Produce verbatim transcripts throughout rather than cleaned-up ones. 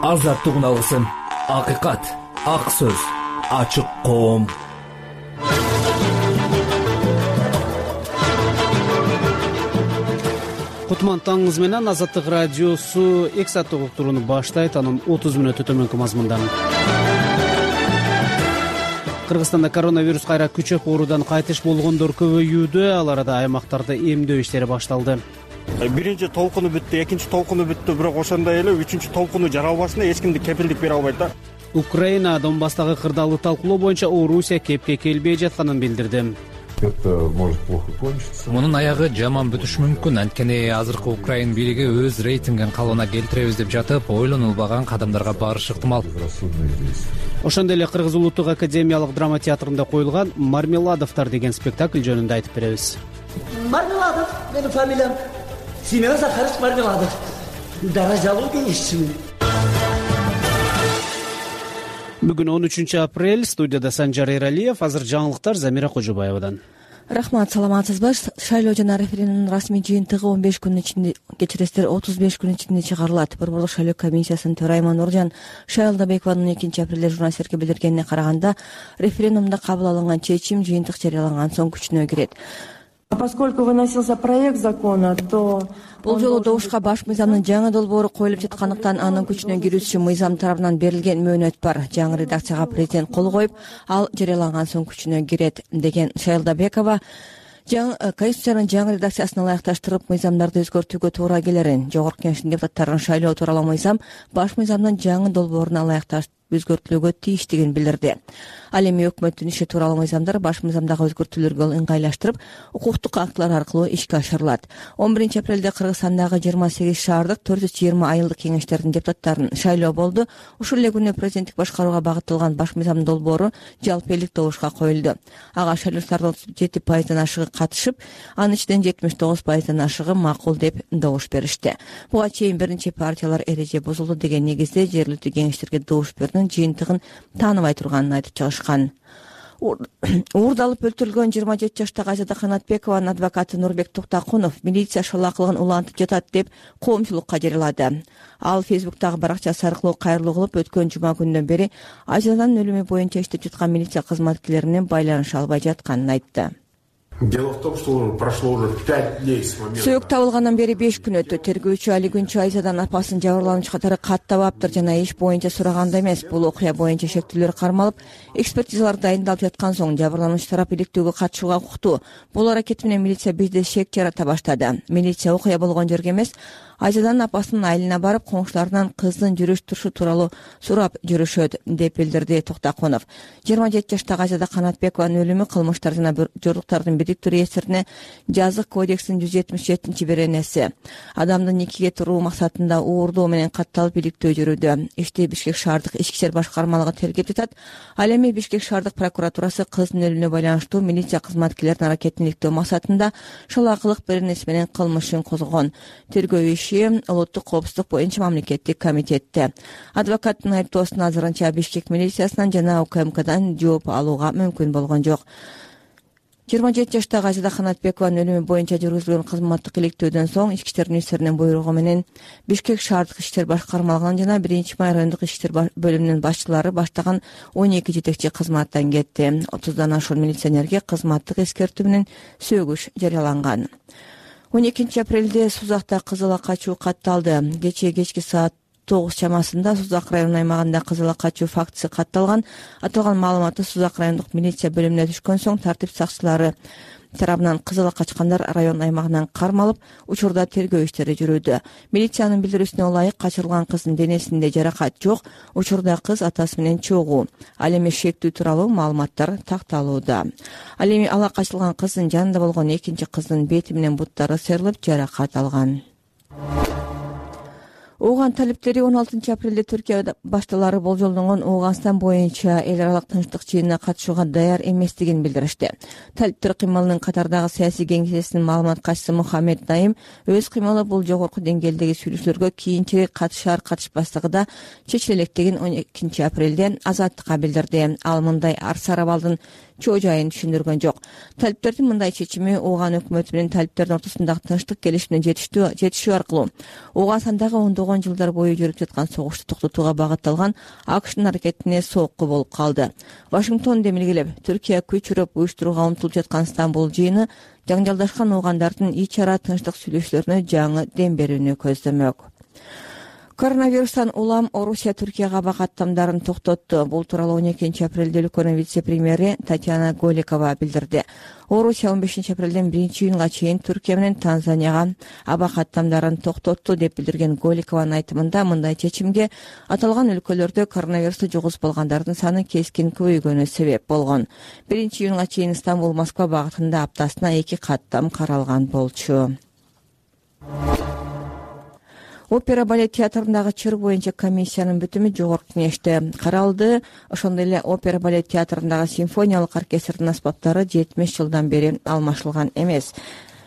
азаттыгын алгысың. Акыйкат, ак сөз, ачык коом. Кутман таңыңыз менен Азаттык радиосу эки сааттык уктурууну баштайт. Анын отуз мүнөтү төмөнкү мазмундан. Кыргызстанда коронавирус кайра күчөп, оорудан кайтыш болгондор көбөйүүдө. Ал арада аймактарда эмдөө иштери башталды. Биринчи толкуну бүттү, экинчи толкуну бүттү, бирок ошондой эле үчүнчү толкуну жаралбашына эч кимди кепилдик бере албайт да. Украина Донбасстагы кырдаалды талкуулоо боюнча Орусия кепке келбей жатканын билдирди. Это может плохо кончиться. Мунун аягы жаман бүтүшү мүмкүн. Анткени азыркы Украин бийлиги өз рейтингин калыбына келтиребиз деп жатып, ойлонулбаган кадамдарга барышы ыктымал. Ошондой эле Кыргыз улуттук академиялык драма театрында коюлган Мармеладовтар деген спектакль жөнүндө айтып беребиз. Мармеладов менин фамилиям. Семен Захарович Мармеладов. Даражалуу кеңешчимин. Бүгүн он үчүнчү апрель. Студияда Санжар Эралиев. Азыр жаңылыктар Замира Кожобаевадан. Рахмат, саламатсызбы? Шайлоо жана референдумдун расмий жыйынтыгы он беш күн ичинде, кечиресиздер, отуз беш күн ичинде чыгарылат. Борборлук шайлоо комиссиясынын төрайымы Нуржан Шайлдабекованын экинчи апрелде журналисттерге билдиргенине караганда, референдумда кабыл алынган чечим жыйынтык жарыяланган соң күчүнө кирет. Поскольку выносился проект закона, то бул жолу добушка баш мыйзамдын жаңы долбоору коюлуп жаткандыктан анын күчүнө кирүүсү үчүн мыйзам тарабынан берилген мөөнөт бар. Жаңы редакцияга президент кол коюп, ал жарыяланган соң күчүнө кирет деген Шайлдабекова Конституциянын жаңы редакциясына ылайыкташтырып, мыйзамдарды өзгөртүүгө туура келерин, жогорку кеңештин депутаттарынын шайлоо тууралуу мыйзам баш мыйзамдын жаңы долбооруна ылайыкташтырып өзгөртүлүүгө тийиштигин билдирди. Ал эми өкмөттүн иши тууралуу мыйзамдар баш мыйзамдагы өзгөртүүлөргө ыңгайлаштырып, укуктук актылар аркылуу ишке ашырылат. он биринчи апрелде Кыргызстандагы жыйырма сегиз шаардык төрт жүз жыйырма айылдык кеңештердин депутаттарынын шайлоо болду. Ушул эле күнү президенттик башкарууга багытталган баш мыйзамдын долбоору жалпы элдик добушка коюлду. Ага шайлоочулардын отуз жети пайыздан ашыгы катышып, анын ичинен жетимиш тогуз пайыздан ашыгы макул деп добуш беришти. Буга чейин биринчи партиялар эреже бузулду деген негизде жергиликтүү кеңештерге добуш берүүнүн жыйынтыгын тааныбай турганын айтып чыгышкан. Уурдалып өлтүрүлгөн жыйырма жети жаштагы Айзада Канатбекованын адвокаты Нурбек Токтакунов милиция шалаакылыгын улантып жатат деп коомчулукка жарыялады. Ал Фейсбуктагы баракчасы аркылуу кайрылуу кылып, өткөн жума күнүнөн бери Айзаданын өлүмү боюнча иштеп жаткан милиция кызматкерлери менен байланыша албай жатканын айтты. Дело в том, что прошло уже пять дней с момента. Сөөк табылгандан бери беш күн өттү. Тергөөчү Али Күнчү Айзаданын апасын жабырлануучу катары каттабаптыр жана иш боюнча сураганда эмес. Бул окуя боюнча шектүүлөр кармалып, экспертизалар дайындалып жаткан соң жабырлануучу тарап иликтөөгө катышууга укуктуу. Бул аракет менен милиция бизде шек жарата баштады. Милиция окуя болгон жерге эмес, Айзаданын апасынын айылына барып, коңшуларынан кыздын жүрүш турушу тууралуу сурап жүрүшөт деп билдирди Токтакунов. жыйырма жети жаштагы Айзада Канатбекованын өлүмү кылмыштар жана жоруктардын бириктүү реестрине жазык кодекстин жүз жетимиш жетинчи беренеси. Адамдын никеге туруу максатында уурдоо менен катталып иликтөө жүрүүдө. Ишти Бишкек шаардык ички ишер башкармалыгы тергеп жатат. Ал эми Бишкек шаардык прокуратурасы кыздын өлүмүнө байланыштуу милиция кызматкерлеринин аракетин иликтөө максатында шалаакылык беренеси менен кылмыш ишин козгогон. Тергөө иши Улуттук коопсуздук боюнча мамлекеттик комитетте. Адвокаттын айыптоосуна азырынча Бишкек милициясынан жана У К М Кдан жооп алууга мүмкүн болгон жок. жыйырма жети жаштагы Айзада Канатбекованын өлүмү боюнча жүргүзүлгөн кызматтык иликтөөдөн соң ички иштер министринин буйругу менен Бишкек шаардык ички иштер башкармалыгынын жана биринчи май райондук ички иштер бөлүмүнүн башчылары баштаган он эки жетекчи кызматтан кетти. отуздан ашуун милиционерге кызматтык эскертүү менен сөгүш жарыяланган. он экинчи апрелде Сузакта кызыла качуу катталды. Кечээ кечки саат тогуз чамасында Сузак районунун аймагында кызыла качуу фактысы катталган. Аталган маалыматты Сузак райондук милиция бөлүмүнө түшкөн соң тартип сакчылары тарабынан кызыла качкандар район аймагынан кармалып, учурда тергөө иштери жүрүүдө. Милициянын билдирүүсүнө ылайык качырылган кыздын денесинде жаракат жок. Учурда кыз атасы менен чогуу. Ал эми шектүү тууралуу маалыматтар такталууда. Ал эми ала качылган кыздын жанында болгон экинчи кыздын бети менен буттары сыйрылып жаракат алган. Ооган талиптери он алтынчы апрелде Түркия башталары болжолдонгон Ооганстан боюнча эл аралык тынчтык жыйынына катышууга даяр эместигин билдиришти. Талиптер кыймылынын катардагы саясий кеңесинин маалымат катчысы Мухаммед Наим өз кыймылы бул жогорку деңгээлдеги сүйлөшүүлөргө кийинчерээк катышар катышпастыгы чечиле электигин он экинчи апрелде Азаттыкка билдирди. Ал мындай ар сарабалдын чоо жайын түшүндүргөн жок. Талиптердин мындай чечими Ооган өкмөтү менен талиптердин ортосундагы тынчтык келишимине жетишүү аркылуу Оогандагы ондогон жылдар бою жүрүп жаткан согушту токтотууга багытталган АКШтын аракетине соокку болуп калды. Вашингтон демилгелеп, Түркия күч урап уюштурууга умтулуп жаткан Стамбул жыйыны жаңжалдашкан оогандардын ич ара тынчтык сүйлөшүүлөрүнө жаңы дем берүүнү көздөмөк. Коронавирустан улам Орусия Түркияга аба каттамдарын токтотту. Бул тууралуу он экинчи апрелде өлкөнүн вице-премьери Татьяна Голикова билдирди. Орусия он бешинчи апрелден биринчи июнга чейин Түркия менен Танзанияга аба каттамдарын токтотту деп билдирген Голикованын айтымында, мындай чечимге аталган өлкөлөрдө коронавирусту жугузбалгандардын саны кескин көбөйгөнү себеп болгон. биринчи июнга чейин Стамбул Москва багытында аптасына эки каттам каралган болчу. Опера балет театрындагы чыр боюнча комиссиянын бүтүмү жогорку кеңеште каралды. Ошондой эле опера балет театрындагы симфониялык оркестрдин аспаптары жетимиш жылдан бери алмашылган эмес.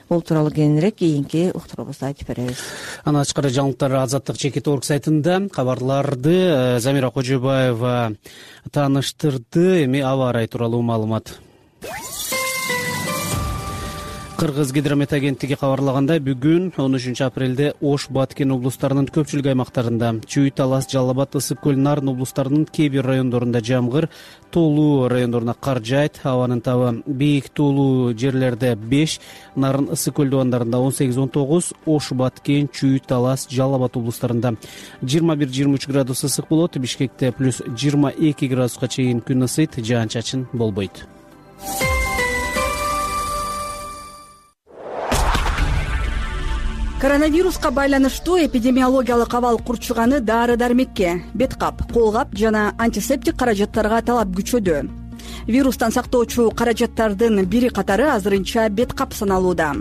Бул тууралуу кийинирээк кийинки уктуруубузда айтып беребиз. Анан тышкары жаңылыктар Азаттык чекит орг сайтында кабарларды Замира Кожобаева тааныштырды. Эми аба ырайы тууралуу маалымат. Кыргыз гидромет агенттиги кабарлагандай, бүгүн он үчүнчү апрелде Ош, Баткен облустарынын көпчүлүк аймактарында, Чүй, Талас, Жалал Абад, Ысык көл, Нарын облустарынын кээ бир райондорунда жамгыр, тоолуу райондоруна кар жаайт. Абанын табы бийик тоолуу жерлерде беш, Нарын, Ысык көл дубандарында он сегиз он тогуз, Ош, Баткен, Чүй, Талас, Жалал Абад облустарында жыйырма бир жыйырма үч градус ысык болот. Бишкекте плюс жыйырма эки градуска чейин күн ысыйт, жаан-чачын болбойт. Коронавируска байланыштуу эпидемиологиялык абал курчуганы дары-дармекке, беткап, колгап жана антисептик каражаттарга талап күчөдү. Вирустан сактоочу каражаттардын бири катары азырынча беткап саналууда.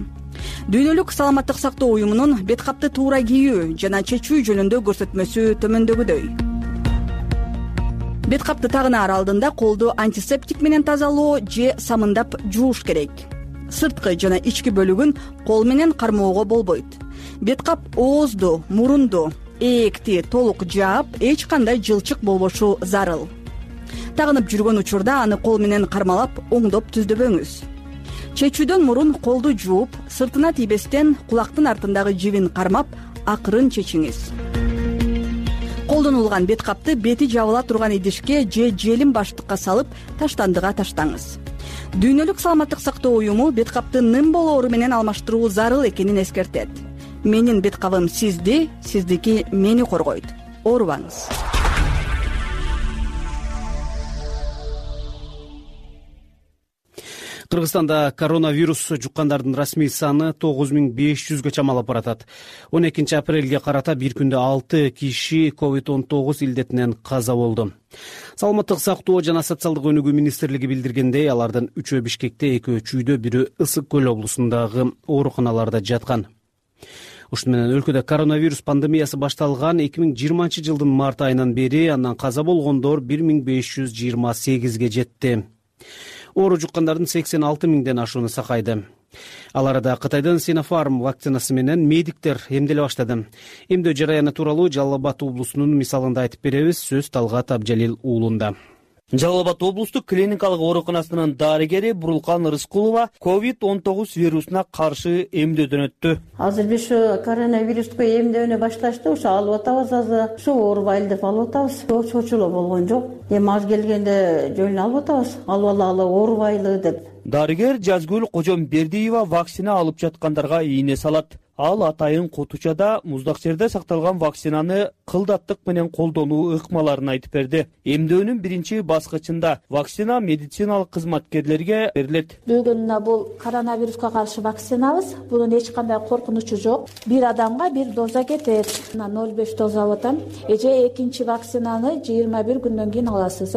Дүйнөлүк саламаттык сактоо уюмунун беткапты туура кийүү жана чечүү жөнүндө көрсөтмөсү төмөндөгүдөй. Беткапты тагынаар алдында колду антисептик менен тазалоо же самындап жууш керек. Сырткы жана ички бөлүгүн кол менен кармоого болбойт. Беткап оозду, мурунду, ээкти толук жаап, эч кандай жылчык болбошу зарыл. Тагынып жүргөн учурда аны кол менен кармалап, оңдоп түздөбөңүз. Чечүүдөн мурун колду жууп, сыртына тийбестен кулактын артындагы жибин кармап, акырын чечиңиз. Колдонулган беткапты бети жабыла турган идишке же желим баштыкка салып, таштандыга таштаңыз. Дүйнөлүк саламаттык сактоо уюму беткапты ным болоору менен алмаштыруу зарыл экенин эскертет. Менин беткабым сизди, сиздики мени коргойт. Оорубаңыз. Кыргызстанда коронавирус жуккандардын расмий саны тогуз миң беш жүзгө чамалап баратат. он экинчи апрелге карата бир күндө алты киши ковид он тогуз илдетинен каза болду. Саламаттык сактоо жана социалдык өнүгүү министрлиги билдиргендей, алардын үчөө Бишкекте, экөө Чүйдө, бирөө Ысык көл облусундагы ооруканаларда жаткан. Ушуну менен өлкөдө коронавирус пандемиясы башталган эки миң жыйырманчы жылдын март айынан бери андан каза болгондор бир миң беш жүз жыйырма сегизге жетти. Оору жуккандардын сексен алты миңден ашууну сакайды. Ал арада Кытайдын Синофарм вакцинасы менен медиктер эмделе баштады. Эмдөө жараяны тууралуу Жалал Абад облусунун мисалында айтып беребиз. Сөз Талгат Абжалил уулунда. Жалал Абад облустук клиникалык ооруканасынын дарыгери Бурулкан Рыскулова ковид он тогуз вирусуна каршы эмдөөдөн өттү. Азыр биз ушу коронавируско эмдөөнү башташты, ушу алып атабыз, азыр ушу оорубайлы деп алып атабыз. Чочулоо болгон жок. Эми аз келгенде жөн алып атабыз. Алып алалы оорубайлы деп. Дарыгер Жазгүл Кожомбердиева вакцина алып жаткандарга ийне салат. Ал атайын Котучада муздак жерде сакталган вакцинаны кылдаттык менен колдонуу ыкмаларын айтып берди. Эмдөөнүн биринчи баскычында вакцина медициналык кызматкерлерге берилет. Бүгүн бул коронавируска каршы вакцинабыз. Бунун эч кандай коркунучу жок. Бир адамга бир доза кетет. ноль беш доза алып атам. Эже экинчи вакцинаны жыйырма бир күндөн кийин аласыз.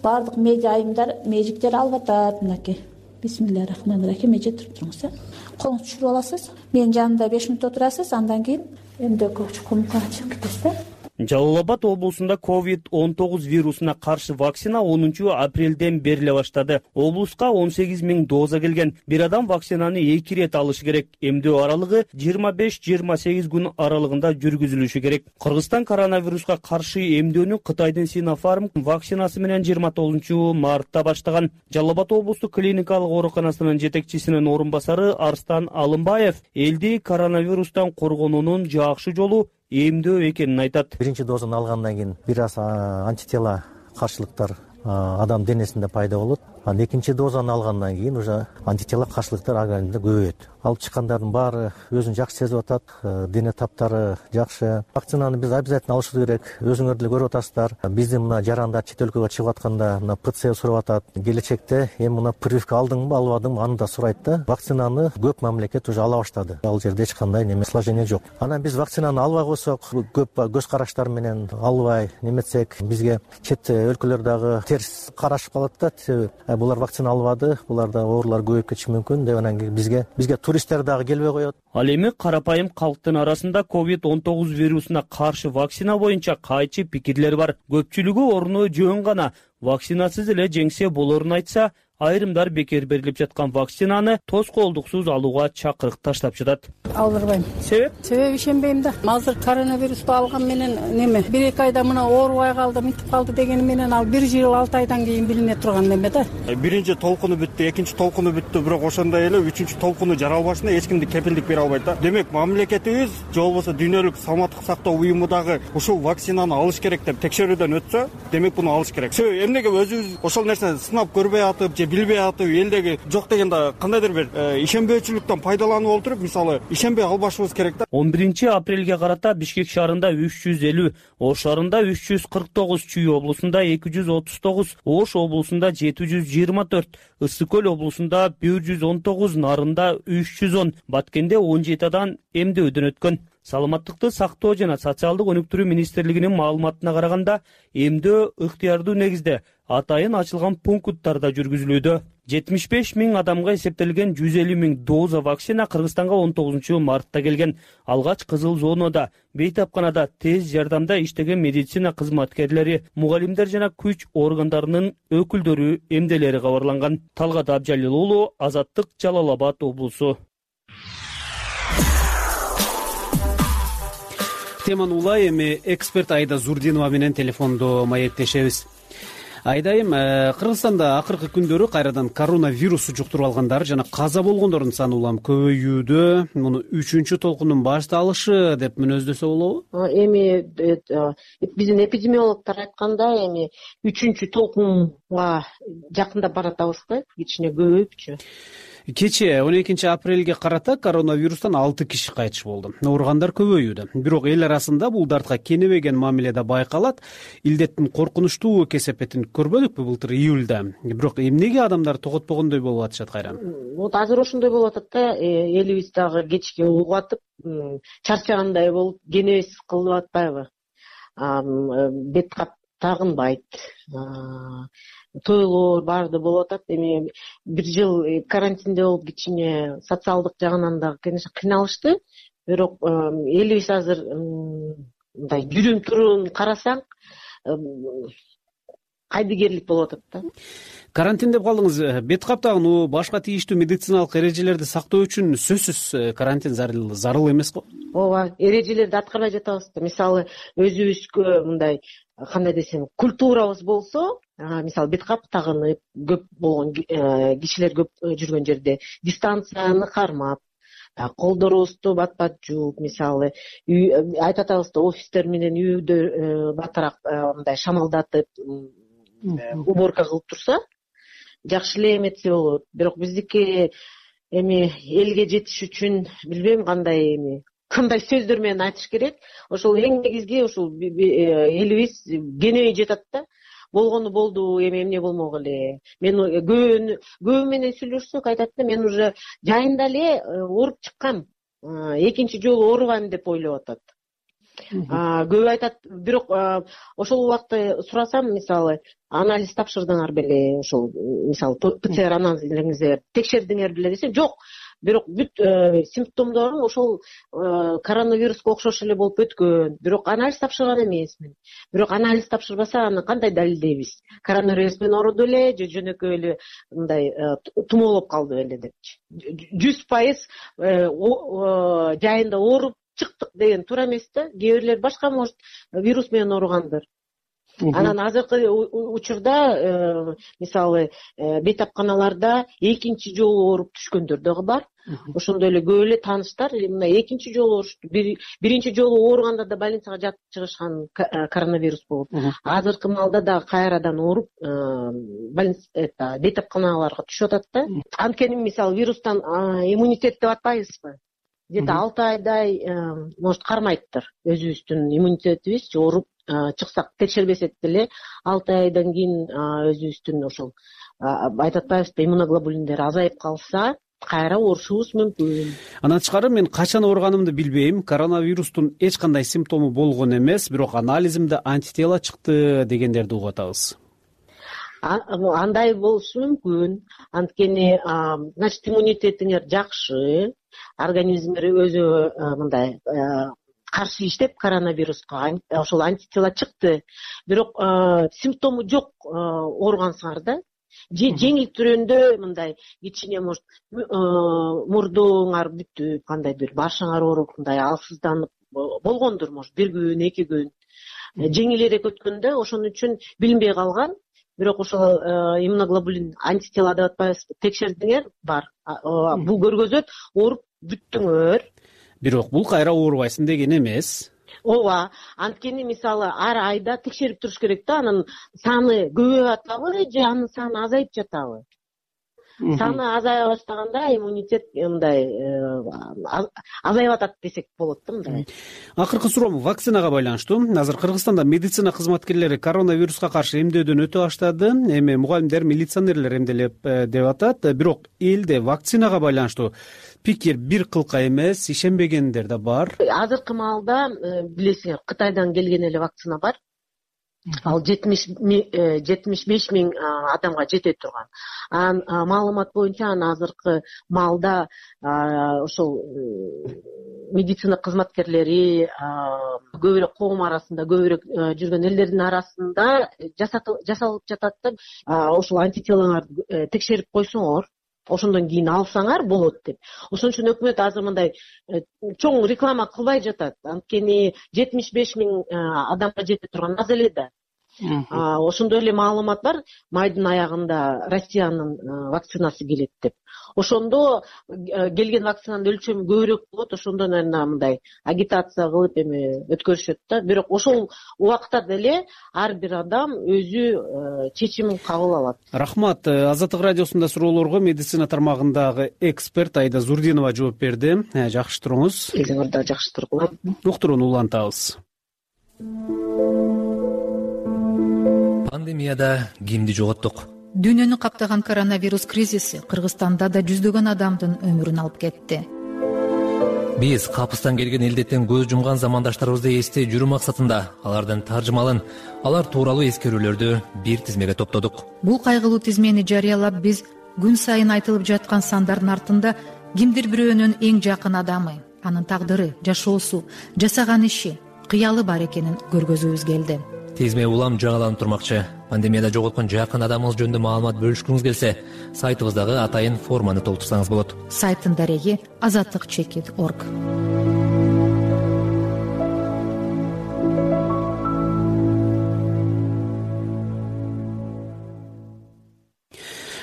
Бардык медиа айымдар, медиктер алып атат. Мынакей. Бисмиллахиррахманиррахим. Эже туруп туруңуз. Колуңузду түшүрүп аласыз. Менин жанымда беш мүнөт отурасыз, андан кийин эмдөө көчүп комукка чыгып кетесиз. Жалал Абад облусунда ковид он тогуз вирусуна каршы вакцина онунчу апрелден бериле баштады. Облуска он сегиз миң доза келген. Бир адам вакцинаны эки ирет алышы керек. Эмдөө аралыгы жыйырма беш жыйырма сегиз күн аралыгында жүргүзүлүшү керек. Кыргызстан коронавируска каршы эмдөөнү Кытайдын Синофарм вакцинасы менен жыйырма тогузунчу мартта баштаган. Жалал Абад облустук клиникалык ооруканасынын жетекчисинин орун басары Арстан Алымбаев элди коронавирустан коргонуунун жакшы жолу эмдөө экенин айтат. Биринчи дозаны алгандан кийин бир аз антитела каршылыктар адам денесинде пайда болот. Анан экинчи дозаны алгандан кийин уже антитела каршылыктар организмде көбөйөт. Алып чыккандардын баары өзүн жакшы сезип атат, дене таптары жакшы. Вакцинаны биз обязательно алышыбыз керек. Өзүңөр деле көрүп атасыздар. Биздин мына жарандар чет өлкөгө чыгып атканда мына ПЦ сурап атат. Келечекте эми мына прививка алдыңбы, албадыңбы аны да сурайт да. Вакцинаны көп мамлекет уже ала баштады. Ал жерде эч кандай неме сложение жок. Анан биз вакцинаны албай койсок, көп көз караштар менен албай неметсек, бизге чет өлкөлөр дагы терс карашып калат да. Булар вакцина албады, буларда оорулар көбөйүп кетиши мүмкүн деп анан бизге бизге туристтер дагы келбей коет. Ал эми карапайым калктын арасында ковид он тогуз вирусуна каршы вакцина боюнча кайчы пикирлер бар. Көпчүлүгү орну жөн гана вакцинасыз эле жеңсе болорун айтса, айрымдар бекер берилип жаткан вакцинаны тоскоолдуксуз алууга чакырык таштап жатат. Алдырбайм. Себеп? Себеп ишенбейм да. Азыр коронавирусту алган менен неме бир эки айда мына оорубай калды, мынтип калды дегени менен ал бир жыл алты айдан кийин билине турган неме да. Биринчи толкуну бүттү, экинчи толкуну бүттү, бирок ошондой эле үчүнчү толкуну жаралбашына эч кимди кепилдик бере албайт да. Демек, мамлекетибиз же болбосо дүйнөлүк саламаттык сактоо уюму дагы ушул вакцинаны алыш керек деп текшерүүдөн өтсө, демек буну алыш керек. Себеби эмнеге өзүбүз ошол нерсени сынап көрбөй атып же билбей атып, элдеги жок дегенде кандайдыр бир ишенбөөчүлүктөн пайдаланып олтуруп, мисалы, ишенбей албашыбыз керек да. он биринчи апрелге карата Бишкек шаарында үч жүз элүү, Ош шаарында үч жүз кырк тогуз, Чүй облусунда эки жүз отуз тогуз, Ош облусунда жети жүз жыйырма төрт, Ысык көл облусунда бир жүз он тогуз, Нарында үч жүз он, Баткенде он жети адам эмдөөдөн өткөн. Саламаттыкты сактоо жана социалдык өнүктүрүү министрлигинин маалыматына караганда, эмдөө ыктыярдуу негизде атайын ачылган пункттарда жүргүзүлүүдө. жетимиш беш миң адамга эсептелген жүз элүү миң доза вакцина Кыргызстанга он тогузунчу мартта келген. Алгач кызыл зонада, бейтапканада тез жардамда иштеген медицина кызматкерлери, мугалимдер жана күч органдарынын өкүлдөрү эмделери кабарланган. Талгат Абжалил уулу, Азаттык, Жалал Абад облусу. Теманы улай эми эксперт Айда Зурдинова менен телефондо маектешебиз. Айдайым, Кыргызстанда акыркы күндөрү кайрадан коронавирус жуктуруп алгандар жана каза болгондордун саны улам көбөйүүдө. Муну үчүнчү толкундун башталышы деп мүнөздөсө болобу? Эми биздин эпидемиологдор айтканда, эми үчүнчү толкунга жакындап баратабыз да, кичине көбөйүпчү. Кечээ он экинчи апрелге карата коронавирустан алты киши кайтыш болду. Ооругандар көбөйүүдө. Бирок эл арасында бул дартка кенебеген мамиледе байкалат. Илдеттин коркунучтуу кесепетин көрбөдүкпү былтыр июлда. Бирок эмнеге адамдар тоготпогондой болуп атышат кайран? Вот азыр ошондой болуп атат да, элибиз дагы кечке угуп атып, чарчагандай болуп, кенебес кылып атпайбы? Бет кап тагынбайт. Тойлор баарды болуп атат. Эми бир жыл карантинде болуп кичине социалдык жагынан да кыйналышты. Бирок элибиз азыр мындай жүрүм турун карасаң кайдыгерлик болуп атат да. Карантин деп калдыңыз. Бет кап тагынуу, башка тийиштүү медициналык эрежелерди сактоо үчүн сөзсүз карантин зарыл эмес го? Ооба, эрежелерди аткарбай жатабыз. Мисалы, өзүбүзгө мындай кандай десем, культурабыз болсо, мисалы бет кап тагынып, көп болгон кишилер көп жүргөн жерде дистанцияны кармап, колдорубузду бат-бат жууп, мисалы, айтып атабыз да, офистер менен үйдө батыраак мындай шамалдатып, уборка кылып турса, жакшы эле эметсе болот. Бирок биздики эми элге жетиш үчүн билбейм кандай эми кандай сөздөр менен айтыш керек. Ошол эң негизги ошол элибиз кенебей жатат да. Болгону болду, эми эмне болмок эле. Мен көбү менен сүйлөшсөк айтат да, мен уже жайында эле ооруп чыккам. Экинчи жолу оорубайм деп ойлоп атат. Көбү айтат, бирок ошол убакта сурасам, мисалы, анализ тапшырдыңар беле, ошол мисалы ПЦР анализиңизди текшердиңер беле десем, жок, бирок бүт симптомдорум ошол коронавируска окшош эле болуп өткөн, бирок анализ тапшырган эмесмин. Бирок анализ тапшырбаса аны кандай далилдейбиз? Коронавирус менен ооруду эле же жөнөкөй эле мындай тумоолоп калды беле депчи. жүз пайыз жайында ооруп чыктык деген туура эмес да. Кээ бирлер башка может вирус менен ооругандыр. Анан азыркы учурда мисалы бейтапканаларда экинчи жолу ооруп түшкөндөр дагы бар. Ошондой эле көп эле тааныштар мына экинчи жолу оорушту. Биринчи жолу ооруганда да больницага жатып чыгышкан коронавирус болуп, азыркы маалда дагы кайрадан ооруп больница бейтапканаларга түшүп атат да. Анткени мисалы вирустан иммунитет деп атпайбызбы? Где-то алты айдай может кармайттыр өзүбүздүн иммунитетибиз. Ооруп чыксак текшербесек деле алты айдан кийин өзүбүздүн ошол айтып атпайбызбы, иммуноглобулиндер азайып калса кайра оорушубуз мүмкүн. Андан тышкары мен качан ооруганымды билбейм. Коронавирустун эч кандай симптому болгон эмес, бирок анализимде антитела чыкты дегендерди угуп атабыз. Андай болушу мүмкүн. Анткени значит иммунитетиңер жакшы, организмиңер өзү мындай каршы иштеп коронавируска ошол антитела чыкты. Бирок симптому жок ооругансыңар да. Же жеңил түрүндө мындай кичине может мурдуңар бүтүп, кандайдыр башыңар ооруп, мындай алсызданып болгондур, может бир күн, эки күн. Жеңилирээк өткөндө ошон үчүн билинбей калган. Бирок ошол иммуноглобулин антитела деп атпайбыз, текшердиңер бар. Бул көргөзөт ооруп бүттүңөр. Бирок бул кайра оорубайсың деген эмес. Ооба, анткени мисалы ар айда текшерип туруш керек да, анын саны көбөйүп атабы же анын саны азайып жатабы? Саны азая баштаганда иммунитет мындай азайып атат десек болот да мындай. Акыркы суроом вакцинага байланыштуу. Азыр Кыргызстанда медицина кызматкерлери коронавируска каршы эмдөөдөн өтө баштады. Эми мугалимдер, милиционерлер эмделеп деп атат. Бирок элде вакцинага байланыштуу пикир бир кылка эмес, ишенбегендер да бар. Азыркы маалда билесиңер, Кытайдан келген эле вакцина бар. Ал жетимиш беш миң адамга жете турган. Анан маалымат боюнча аны азыркы маалда ошол медицина кызматкерлери көбүрөөк коом арасында, көбүрөөк жүргөн элдердин арасында жасалып жатат да. Ошол антителаңарды текшерип койсоңор, ошондон кийин алсаңар болот деп. Ошон үчүн өкмөт азыр мындай чоң реклама кылбай жатат. Анткени жетимиш беш миң адамга жете турган аз эле да. Ошондой эле маалымат бар, майдын аягында Россиянын вакцинасы келет деп. Ошондо келген вакцинанын өлчөмү көбүрөөк болот, ошондо мындай агитация кылып эми өткөрүшөт да. Бирок ошол убакта деле ар бир адам өзү чечимин кабыл алат. Рахмат. Азаттык радиосунда суроолорго медицина тармагындагы эксперт Айда Зурдинова жооп берди. Жакшы туруңуз. Өзүңөр да жакшы тургула. Уктурууну улантабыз. Пандемияда кимди жоготтук? Дүйнөнү каптаган коронавирус кризиси Кыргызстанда да жүздөгөн адамдын өмүрүн алып кетти. Биз капыстан келген элдеттен көз жумган замандаштарыбызды эстей жүрүү максатында алардын таржымалын, алар тууралуу эскерүүлөрдү бир тизмеге топтодук. Бул кайгылуу тизмени жарыялап биз күн сайын айтылып жаткан сандардын артында кимдир бирөөнүн эң жакын адамы, анын тагдыры, жашоосу, жасаган иши, кыялы бар экенин көргөзүүбүз келди. Тизме улам жаңыланып турмакчы. Пандемияда жоготкон жакын адамыңыз жөнүндө маалымат бөлүшкүңүз келсе, сайтыбыздагы атайын форманы толтурсаңыз болот. Сайттын дареги азаттык чекит орг.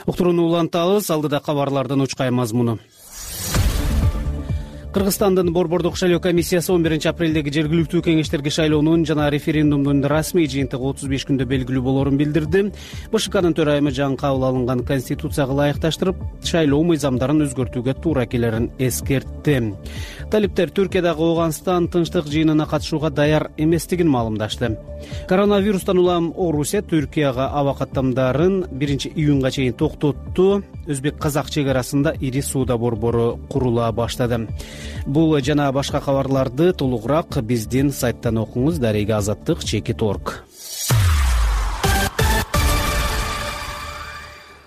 Уктурууну улантабыз. Алдыда кабарлардын учкай мазмуну. Кыргызстандын Борбордук шайлоо комиссиясы он биринчи апрелдеги жергиликтүү кеңештерге шайлоонун жана референдумдун расмий жыйынтыгы отуз беш күндө белгилүү болорун билдирди. БШКнын төрайымы жаңы кабыл алынган конституцияга ылайыкташтырып, шайлоо мыйзамдарын өзгөртүүгө туура келерин эскертти. Талиптер Түркиядагы Ооганстан тынчтык жыйынына катышууга даяр эместигин маалымдашты. Коронавирустан улам Орусия Түркияга аба каттамдарын биринчи июнга чейин токтотту. Өзбек-казак чек арасында ири сууда борбору курула баштады. Бул жана башка кабарларды толугураак биздин сайттан окуңуз. Дареги азаттык чекит орг.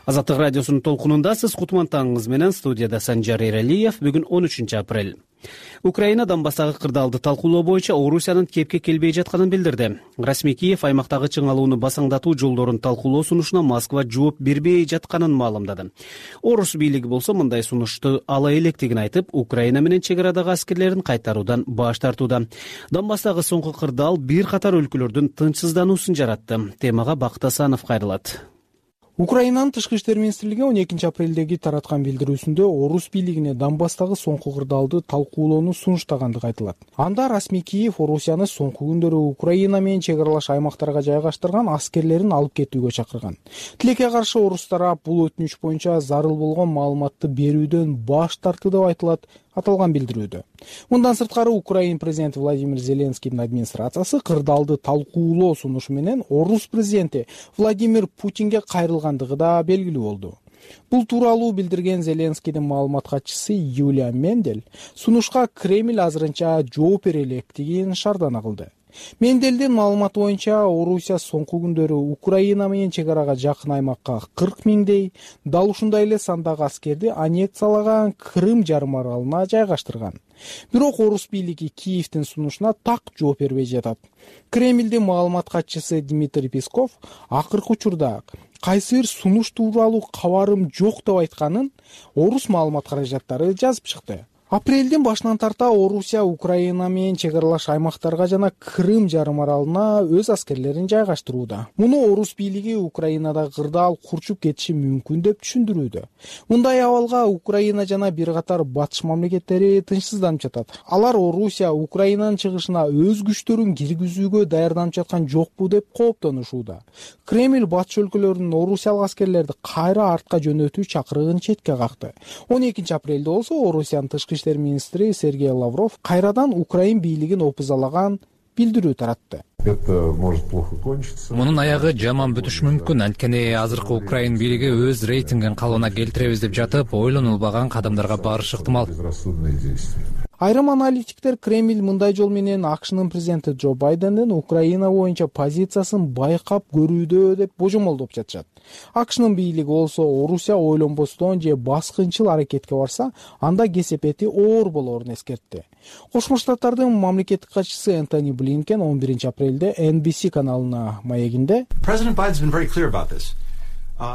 Азаттык радиосунун толкунундасыз. Кутмантаңыңыз менен студияда Санжар Эралиев. Бүгүн он үчүнчү апрель. Украина Донбасстагы кырдаалды талкуулоо боюнча Орусиянын кепке келбей жатканын билдирди. Расмий Киев аймактагы чыңалууну басаңдатуу жолдорун талкуулоо сунушуна Москва жооп бербей жатканын маалымдады. Орус бийлиги болсо мындай сунушту ала электигин айтып, Украина менен чек арадагы аскерлерин кайтаруудан баш тартууда. Донбасстагы соңку кырдаал бир катар өлкөлөрдүн тынчсыздануусун жаратты. Темага Бактасанов кайрылат. Украинанын тышкы иштер министрлиги он экинчи апрелдеги тараткан билдирүүсүндө Орус бийлигине Донбасстагы соңку кырдаалды талкуулоону сунуштагандыгы айтылат. Анда Расмий Киев Орусияны соңку күндөрү Украина менен чек аралаш аймактарга жайгаштырган аскерлерин алып кетүүгө чакырган. Тилекке каршы орус тарап бул өтүнүч боюнча зарыл болгон маалыматты берүүдөн баш тартты деп айтылат аталган билдирүүдө. Мындан сырткары Украина президенти Владимир Зеленскийдин администрациясы кырдаалды талкуулоо сунушу менен Орус президенти Владимир Путинге кайрылгандыгы да белгилүү болду. Бул тууралуу билдирген Зеленскийдин маалымат катчысы Юлия Мендель сунушка Кремль азырынча жооп бере электигин шаардана кылды. Менделдин маалыматы боюнча Орусия соңку күндөрү Украина менен чек арага жакын аймакка кырк миңдей, дал ушундай эле сандагы аскерди аннексиялаган Крым жарым аралына жайгаштырган. Бирок Орус бийлиги Киевдин сунушуна так жооп бербей жатат. Кремлдин маалымат катчысы Дмитрий Песков акыркы учурда кайсы бир сунуш тууралуу кабарым жок деп айтканын Орус маалымат каражаттары жазып чыкты. Апрелдин башынан тарта Орусия Украина менен чек аралаш аймактарга жана Крым жарым аралына өз аскерлерин жайгаштырууда. Муну Орус бийлиги Украинада кырдаал курчуп кетиши мүмкүн деп түшүндүрүүдө. Мындай абалга Украина жана бир катар батыш мамлекеттери тынчсызданып жатат. Алар Орусия Украинанын чыгышына өз күчтөрүн киргизүүгө даярданып жаткан жокпу деп кооптонушууда. Кремль батыш өлкөлөрүнүн орусиялык аскерлерди кайра артка жөнөтүү чакырыгын четке какты. он экинчи апрелде болсо Орусиянын тышкы иштер министри Сергей Лавров кайрадан Украин бийлигин опузалаган билдирүү таратты. Мунун аягы жаман бүтүшү мүмкүн. Анткени азыркы Украин бийлиги өз рейтингин калыбына келтиребиз деп жатып, ойлонулбаган кадамдарга барышы ыктымал. Айрым аналитиктер Кремль мындай жол менен АКШнын президенти Джо Байдендин Украина боюнча позициясын байкап көрүүдө деп божомолдоп жатышат. АКШнын бийлиги болсо Орусия ойлонбостон же баскынчыл аракетке барса, анда кесепети оор болорун эскертти. Кошмо Штаттардын мамлекеттик катчысы Энтони Блинкен он биринчи апрелде Эн Би Си каналына маегинде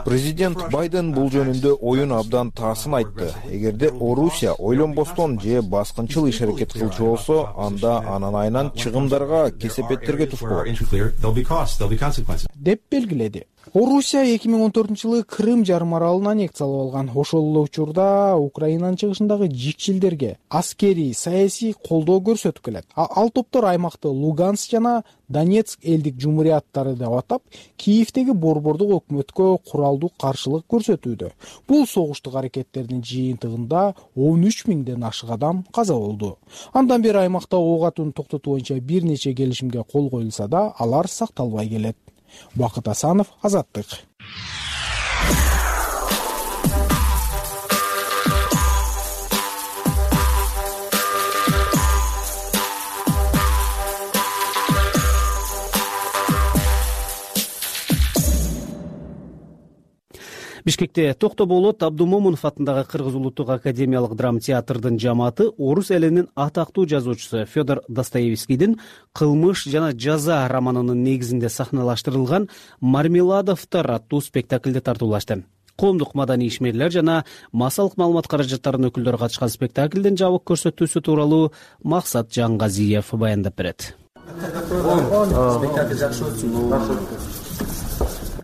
Президент Байден бул жөнүндө оюн абдан таасын айтты. Эгерде Орусия ойлонбостон же баскынчыл иш аракет кылчу болсо, анда анын айынан чыгымдарга, кесепеттерге туш болот деп белгиледи. Орусия эки миң он төртүнчү жылы Крым жарым аралын аннексиялап алган. Ошол эле учурда Украинанын чыгышындагы жикчилдерге аскерий, саясий колдоо көрсөтүп келет. Ал топтор аймакты Луганск жана Донецк элдик жумурияттары деп атап, Киевдеги борбордук өкмөткө куралдуу каршылык көрсөтүүдө. Бул согуштук аракеттердин жыйынтыгында он үч миңден ашык адам каза болду. Андан бери аймакта ок атууну токтотуу боюнча бир нече келишимге кол коюлса да, алар сакталбай келет. Бакыт Асанов, Азаттык. Бишкекте Токтоболот Абдумомунов атындагы Кыргыз улуттук академиялык драма театрдын жамааты орус элинин атактуу жазуучусу Федор Достоевскийдин «Кылмыш жана жаза» романынын негизинде сахналаштырылган «Мармеладовтор» аттуу спектаклди тартуулашты. Коомдук маданий ишмерлер жана массалык маалымат каражаттарынын өкүлдөрү катышкан спектаклдин жабык көрсөтүүсү тууралуу Максат Жаңгазиев баяндап берет.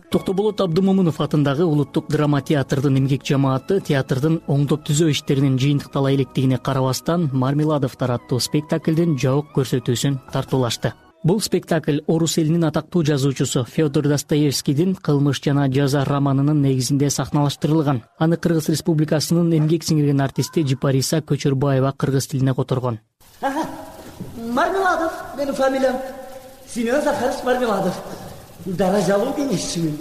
Токтоболот Абдумомунов атындагы улуттук драма театрдын эмгек жамааты театрдын оңдоп түзөө иштеринин жыйынтыктала электигине карабастан «Мармеладовтор» аттуу спектаклдин жабык көрсөтүүсүн тартуулашты. Бул спектакль орус элинин атактуу жазуучусу Федор Достоевскийдин «Кылмыш жана жаза» романынын негизинде сахналаштырылган. Аны Кыргыз Республикасынын эмгек сиңирген артисти Жипариса Көчөрбаева кыргыз тилине которгон. Мармеладов менин фамилиям. Семен Захарович Мармеладов. Даражалуу кеңешчимин.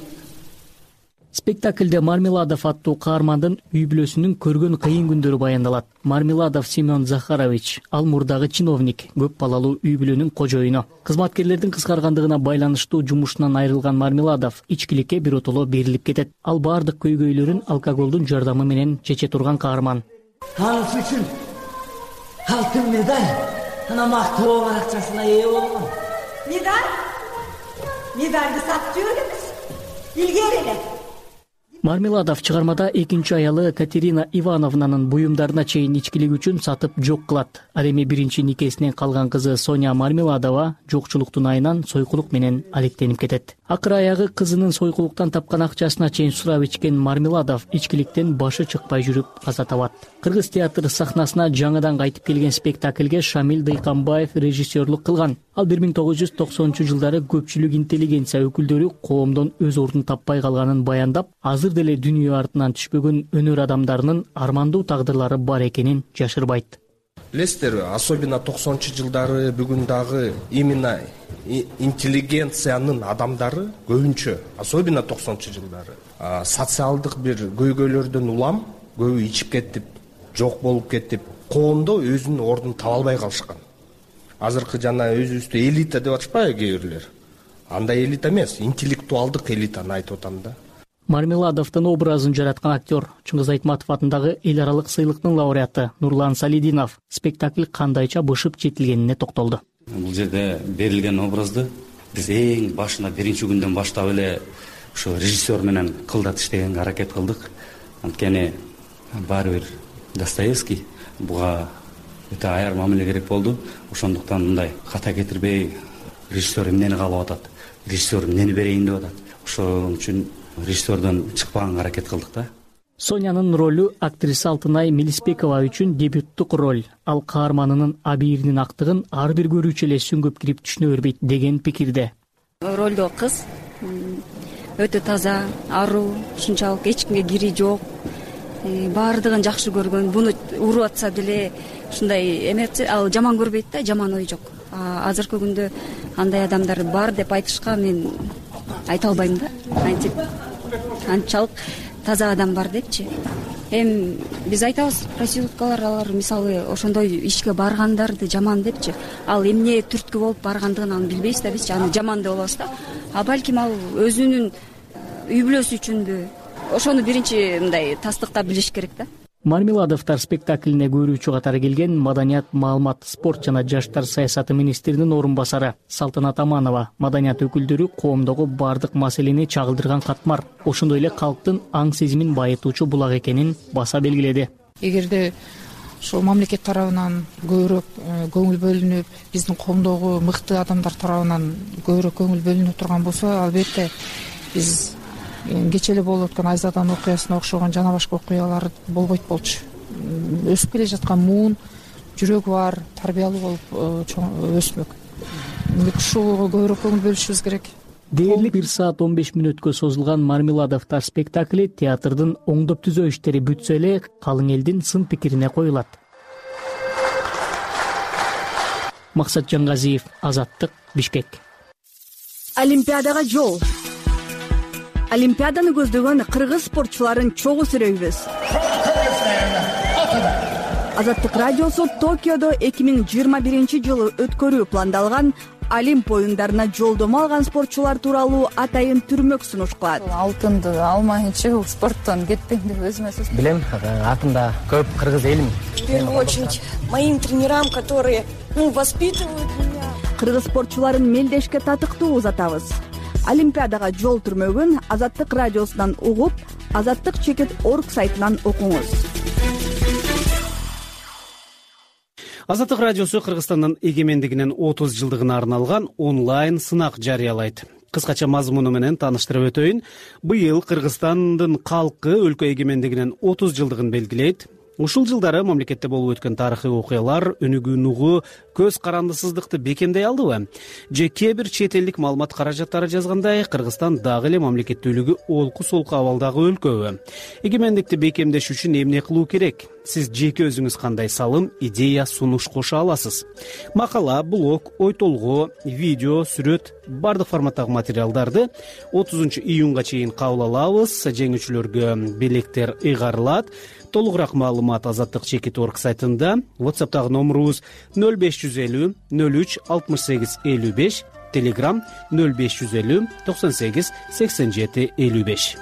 Спектакльде Мармеладов аттуу каармандын үй бүлөсүнүн көргөн кыйын күндөрү баяндалат. Мармеладов Семен Захарович ал мурдагы чиновник, көп балалуу үй бүлөнүн кожоюну. Кызматкерлердин кыскаргандыгына байланыштуу жумушунан айрылган Мармеладов ичкиликке биротоло берилип кетет. Ал баардык көйгөйлөрүн алкоголдун жардамы менен чече турган каарман. Анысы үчүн алтын медаль, ана мактоо баракчасына ээ болгон. Медаль? Медальды сатып жибергенбиз. Илгери эле. Мармеладов чыгармада экинчи аялы Катерина Ивановнанын буюмдарына чейин ичкилик үчүн сатып жок кылат. Ал эми биринчи никесинен калган кызы Соня Мармеладова жокчулуктун айынан сойкулук менен алектенип кетет. Акыры аягы кызынын сойкулуктан тапкан акчасына чейин сурап ичкен Мармеладов ичкиликтен башы чыкпай жүрүп каза табат. Кыргыз театр сахнасына жаңыдан кайтып келген спектакльге Шамил Дыйканбаев режиссерлук кылган. Ал бир миң тогуз жүз токсонунчу жылдары көпчүлүк интеллигенция өкүлдөрү коомдон өз ордун таппай калганын баяндап, азыр деле дүйнө артынан түшпөгөн өнөр адамдарынын армандуу тагдырлары бар экенин жашырбайт. Билесиздер, особенно токсонунчу жылдары бүгүн дагы именно интеллигенциянын адамдары көбүнчө, особенно токсонунчу жылдары социалдык бир көйгөйлөрдөн улам, көбү ичип кетип, жок болуп кетип, коомдо өзүнүн ордун таба албай калышкан. Азыркы жана өзүбүздү элита деп атышпайбы кээ бирлер? Андай элита эмес, интеллектуалдык элитаны айтып атам да. Мармеладовдун образын жараткан актер Чыңгыз Айтматов атындагы эл аралык сыйлыктын лауреаты Нурлан Салидинов спектакль кандайча бышып четилгенине токтолду. Бул жерде берилген образды биз эң башына биринчи күндөн баштап эле ушу режиссер менен кылдат иштегенге аракет кылдык. Анткени баары бир Достоевский буга өтө аяр мамиле керек болду. Ошондуктан мындай ката кетирбей режиссер эмнени каалап атат, режиссер эмнени берейин деп атат. Ошон үчүн режиссердон чыкпаганга аракет кылдык да. Сонянын ролу актриса Алтынай Мелиспекова үчүн дебюттук роль. Ал каарманынын абийиринин актыгын ар бир көрүүчү эле сүңгүп кирип түшүнө бербейт деген пикирде. Ролдо кыз өтө таза, аруу, ушунчалык эч кимге кири жок. Баардыгын жакшы көргөн, буну уруп атса деле ушундай эмет, ал жаман көрбөйт да, жаман ой жок. Азыркы күндө андай адамдар бар деп айтышка мен айта албайм да. Антип анчалык таза адам бар депчи. Эми биз айтабыз, проституткалар алар мисалы ошондой ишке баргандарды жаман депчи. Ал эмне түрткү болуп баргандыгын аны билбейбиз да, биз аны жаман деп алабыз да. А балким ал өзүнүн үй бүлөсү үчүнбү? Ошону биринчи мындай тастыктап билиш керек да. Мармеладовдор спектаклине көрүүчү катары келген Маданият, маалымат, спорт жана жаштар саясаты министринин орун басары Салтанат Аманова маданият өкүлдөрү коомдогу бардык маселени чагылдырган катмар, ошондой эле калктын аң сезимин байытуучу булак экенин баса белгиледи. Эгерде ушул мамлекет тарабынан көбүрөөк көңүл бөлүнүп, биздин коомдогу мыкты адамдар тарабынан көбүрөөк көңүл бөлүнүп турган болсо, албетте биз кечээ эле болуп өткөн Айзадан окуясына окшогон жана башка окуялар болбойт болчу. Өсүп келе жаткан муун, жүрөгү бар, тарбиялуу болуп өсмөк. Ушуга көбүрөөк көңүл бөлүшүбүз керек. Дээрлик бир саат он беш мүнөткө созулган Мармеладовдор спектакли театрдын оңдоп түзөө иштери бүтсө эле калың элдин сын пикирине коюлат. Максат Жангазиев, Азаттык, Бишкек. Олимпиадага жол. Олимпиаданы көздөгөн кыргыз спортчуларын чогуу сүрөйбүз. Азаттык радиосу Токиодо эки миң жыйырма биринчи жылы өткөрүү пландалган Олимп оюндарына жолдомо алган спортчулар тууралуу атайын түрмөк сунуш кылат. Алтынды алмайынча бул спорттон кетпейм деп өзүмө сөз. Билем, артымда көп кыргыз элим. В первую очередь моим тренерам, которые воспитывают меня. Кыргыз спортчуларын мелдешке татыктуу узатабыз. Олимпиадага жол түрмөгүн Азаттык радиосунан угуп, Азаттык чекит орг сайтынан окуңуз. Азаттык радиосу Кыргызстандын эгемендигинин отуз жылдыгына арналган онлайн сынак жарыялайт. Кыскача мазмуну менен тааныштырып өтөйүн. Быйыл Кыргызстандын калкы өлкө эгемендигинин отуз жылдыгын белгилейт. Ушул жылдары мамлекетте болуп өткөн тарыхый окуялар өнүгүү нугу көз карандысыздыкты бекемдей алдыбы? Же кээ бир чет элдик маалымат каражаттары жазгандай, Кыргызстан дагы эле мамлекеттүүлүгү олку солку абалдагы өлкөбү? Эгемендикти бекемдеш үчүн эмне кылуу керек? сиз жеке өзүңүз кандай салым, идея, сунуш кошо аласыз? Макала, блог, ой толгоо, видео, сүрөт бардык форматтагы материалдарды отузунчу июнга чейин кабыл алабыз. Жеңүүчүлөргө белектер ыйгарылат. Толугураак маалымат Азаттык чекит орг сайтында. WhatsApp'тагы номерубуз нөл беш жүз элүү нөл үч алтымыш сегиз элүү беш, Telegram нөл беш жүз элүү токсон сегиз сексен жети элүү беш.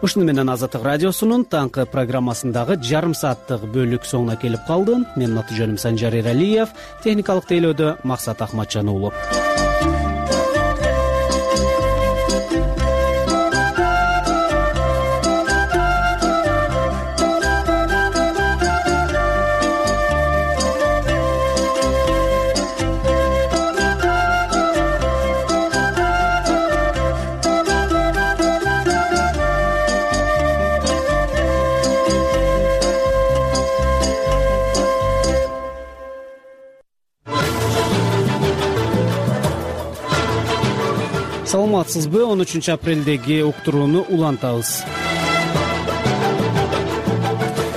Ушуну менен Азаттык радиосунун таңкы программасындагы жарым сааттык бөлүк соңуна келип калды. Менин аты жөнүм Санжар Эралиев, техникалык тейлөөдө Максат Ахматжан уулу. Саламатсызбы? он үчүнчү апрелдеги уктурууну улантабыз.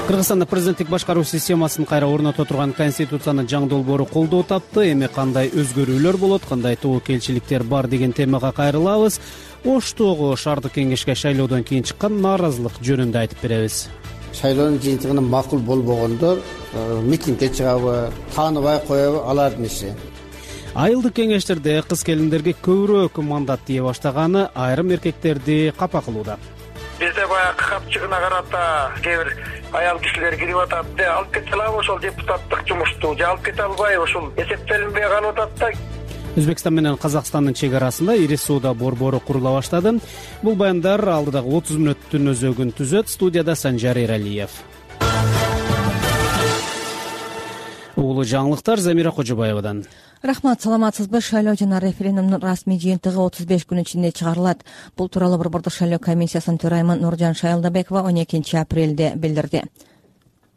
Кыргызстанда президенттик башкаруу системасын кайра орното турган конституциянын жаңы долбоору колдоо тапты. Эми кандай өзгөрүүлөр болот, кандай тобокелчиликтер бар деген темага кайрылабыз. Оштогу шаардык кеңешке шайлоодон кийин чыккан нааразылык жөнүндө айтып беребиз. Шайлоонун жыйынтыгына макул болбогондор митингге чыгабы, тааныбай коебу, алардын иши. Айылдык кеңештерде кыз келиндерге көбүрөөк мандат тие баштаганы айрым эркектерди капа кылууда. Бизде баягы капчыгына карата кээ бир аял кишилер кирип атат. Алып кете алабы ошол депутаттык жумушту, же алып кете албайбы, ушул эсептелинбей калып атат да. Өзбекстан менен Казакстандын чек арасында ири сууда борбору курула баштады. Бул баяндар алдыдагы отуз мүнөттүн өзөгүн түзөт. Студияда Санжар Эралиев. Улуу жаңылыктар Замира Кожобаевадан. Рахмат, саламатсызбы? Шайлоо жана референдумдун расмий жыйынтыгы отуз беш күн ичинде чыгарылат. Бул тууралуу Борбордук шайлоо комиссиясынын төрайымы Нуржан Шайлдабекова он экинчи апрелде билдирди.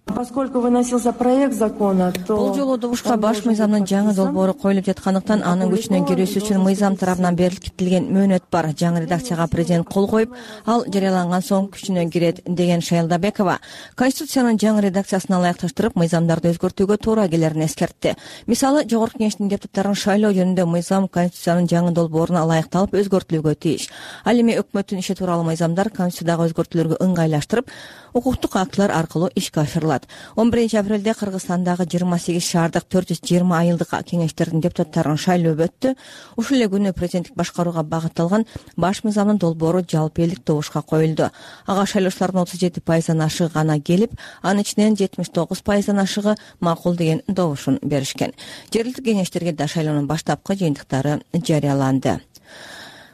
Поскольку выносился проект закона, то бул жолу добушка баш мыйзамдын жаңы долбоору коюлуп жаткандыктан анын күчүнө кирүүсү үчүн мыйзам тарабынан берилген мөөнөт бар. Жаңы редакцияга президент кол коюп, ал жарыяланган соң күчүнө кирет деген Шайлдабекова Конституциянын жаңы редакциясына ылайыкташтырып, мыйзамдарды өзгөртүүгө туура келерин эскертти. Мисалы, жогорку кеңештин депутаттарын шайлоо жөнүндө мыйзам Конституциянын жаңы долбооруна ылайыкталып өзгөртүлүүгө тийиш. Ал эми өкмөттүн иши тууралуу мыйзамдар Конституциядагы өзгөртүүлөргө ыңгайлаштырып, укуктук актылар аркылуу ишке ашырылат. он биринчи апрелде Кыргызстандагы жыйырма сегиз шаардык төрт жүз жыйырма айылдык кеңештердин депутаттарын шайлоо өттү. Ушул эле күнү президенттик башкарууга багытталган баш мыйзамдын долбоору жалпы элдик добушка коюлду. Ага шайлоочулардын отуз жети пайыздан ашыгы гана келип, анын ичинен жетимиш тогуз пайыздан ашыгы макул деген добушун беришкен. Жергиликтик кеңештерге да шайлоонун баштапкы жыйынтыктары жарыяланды.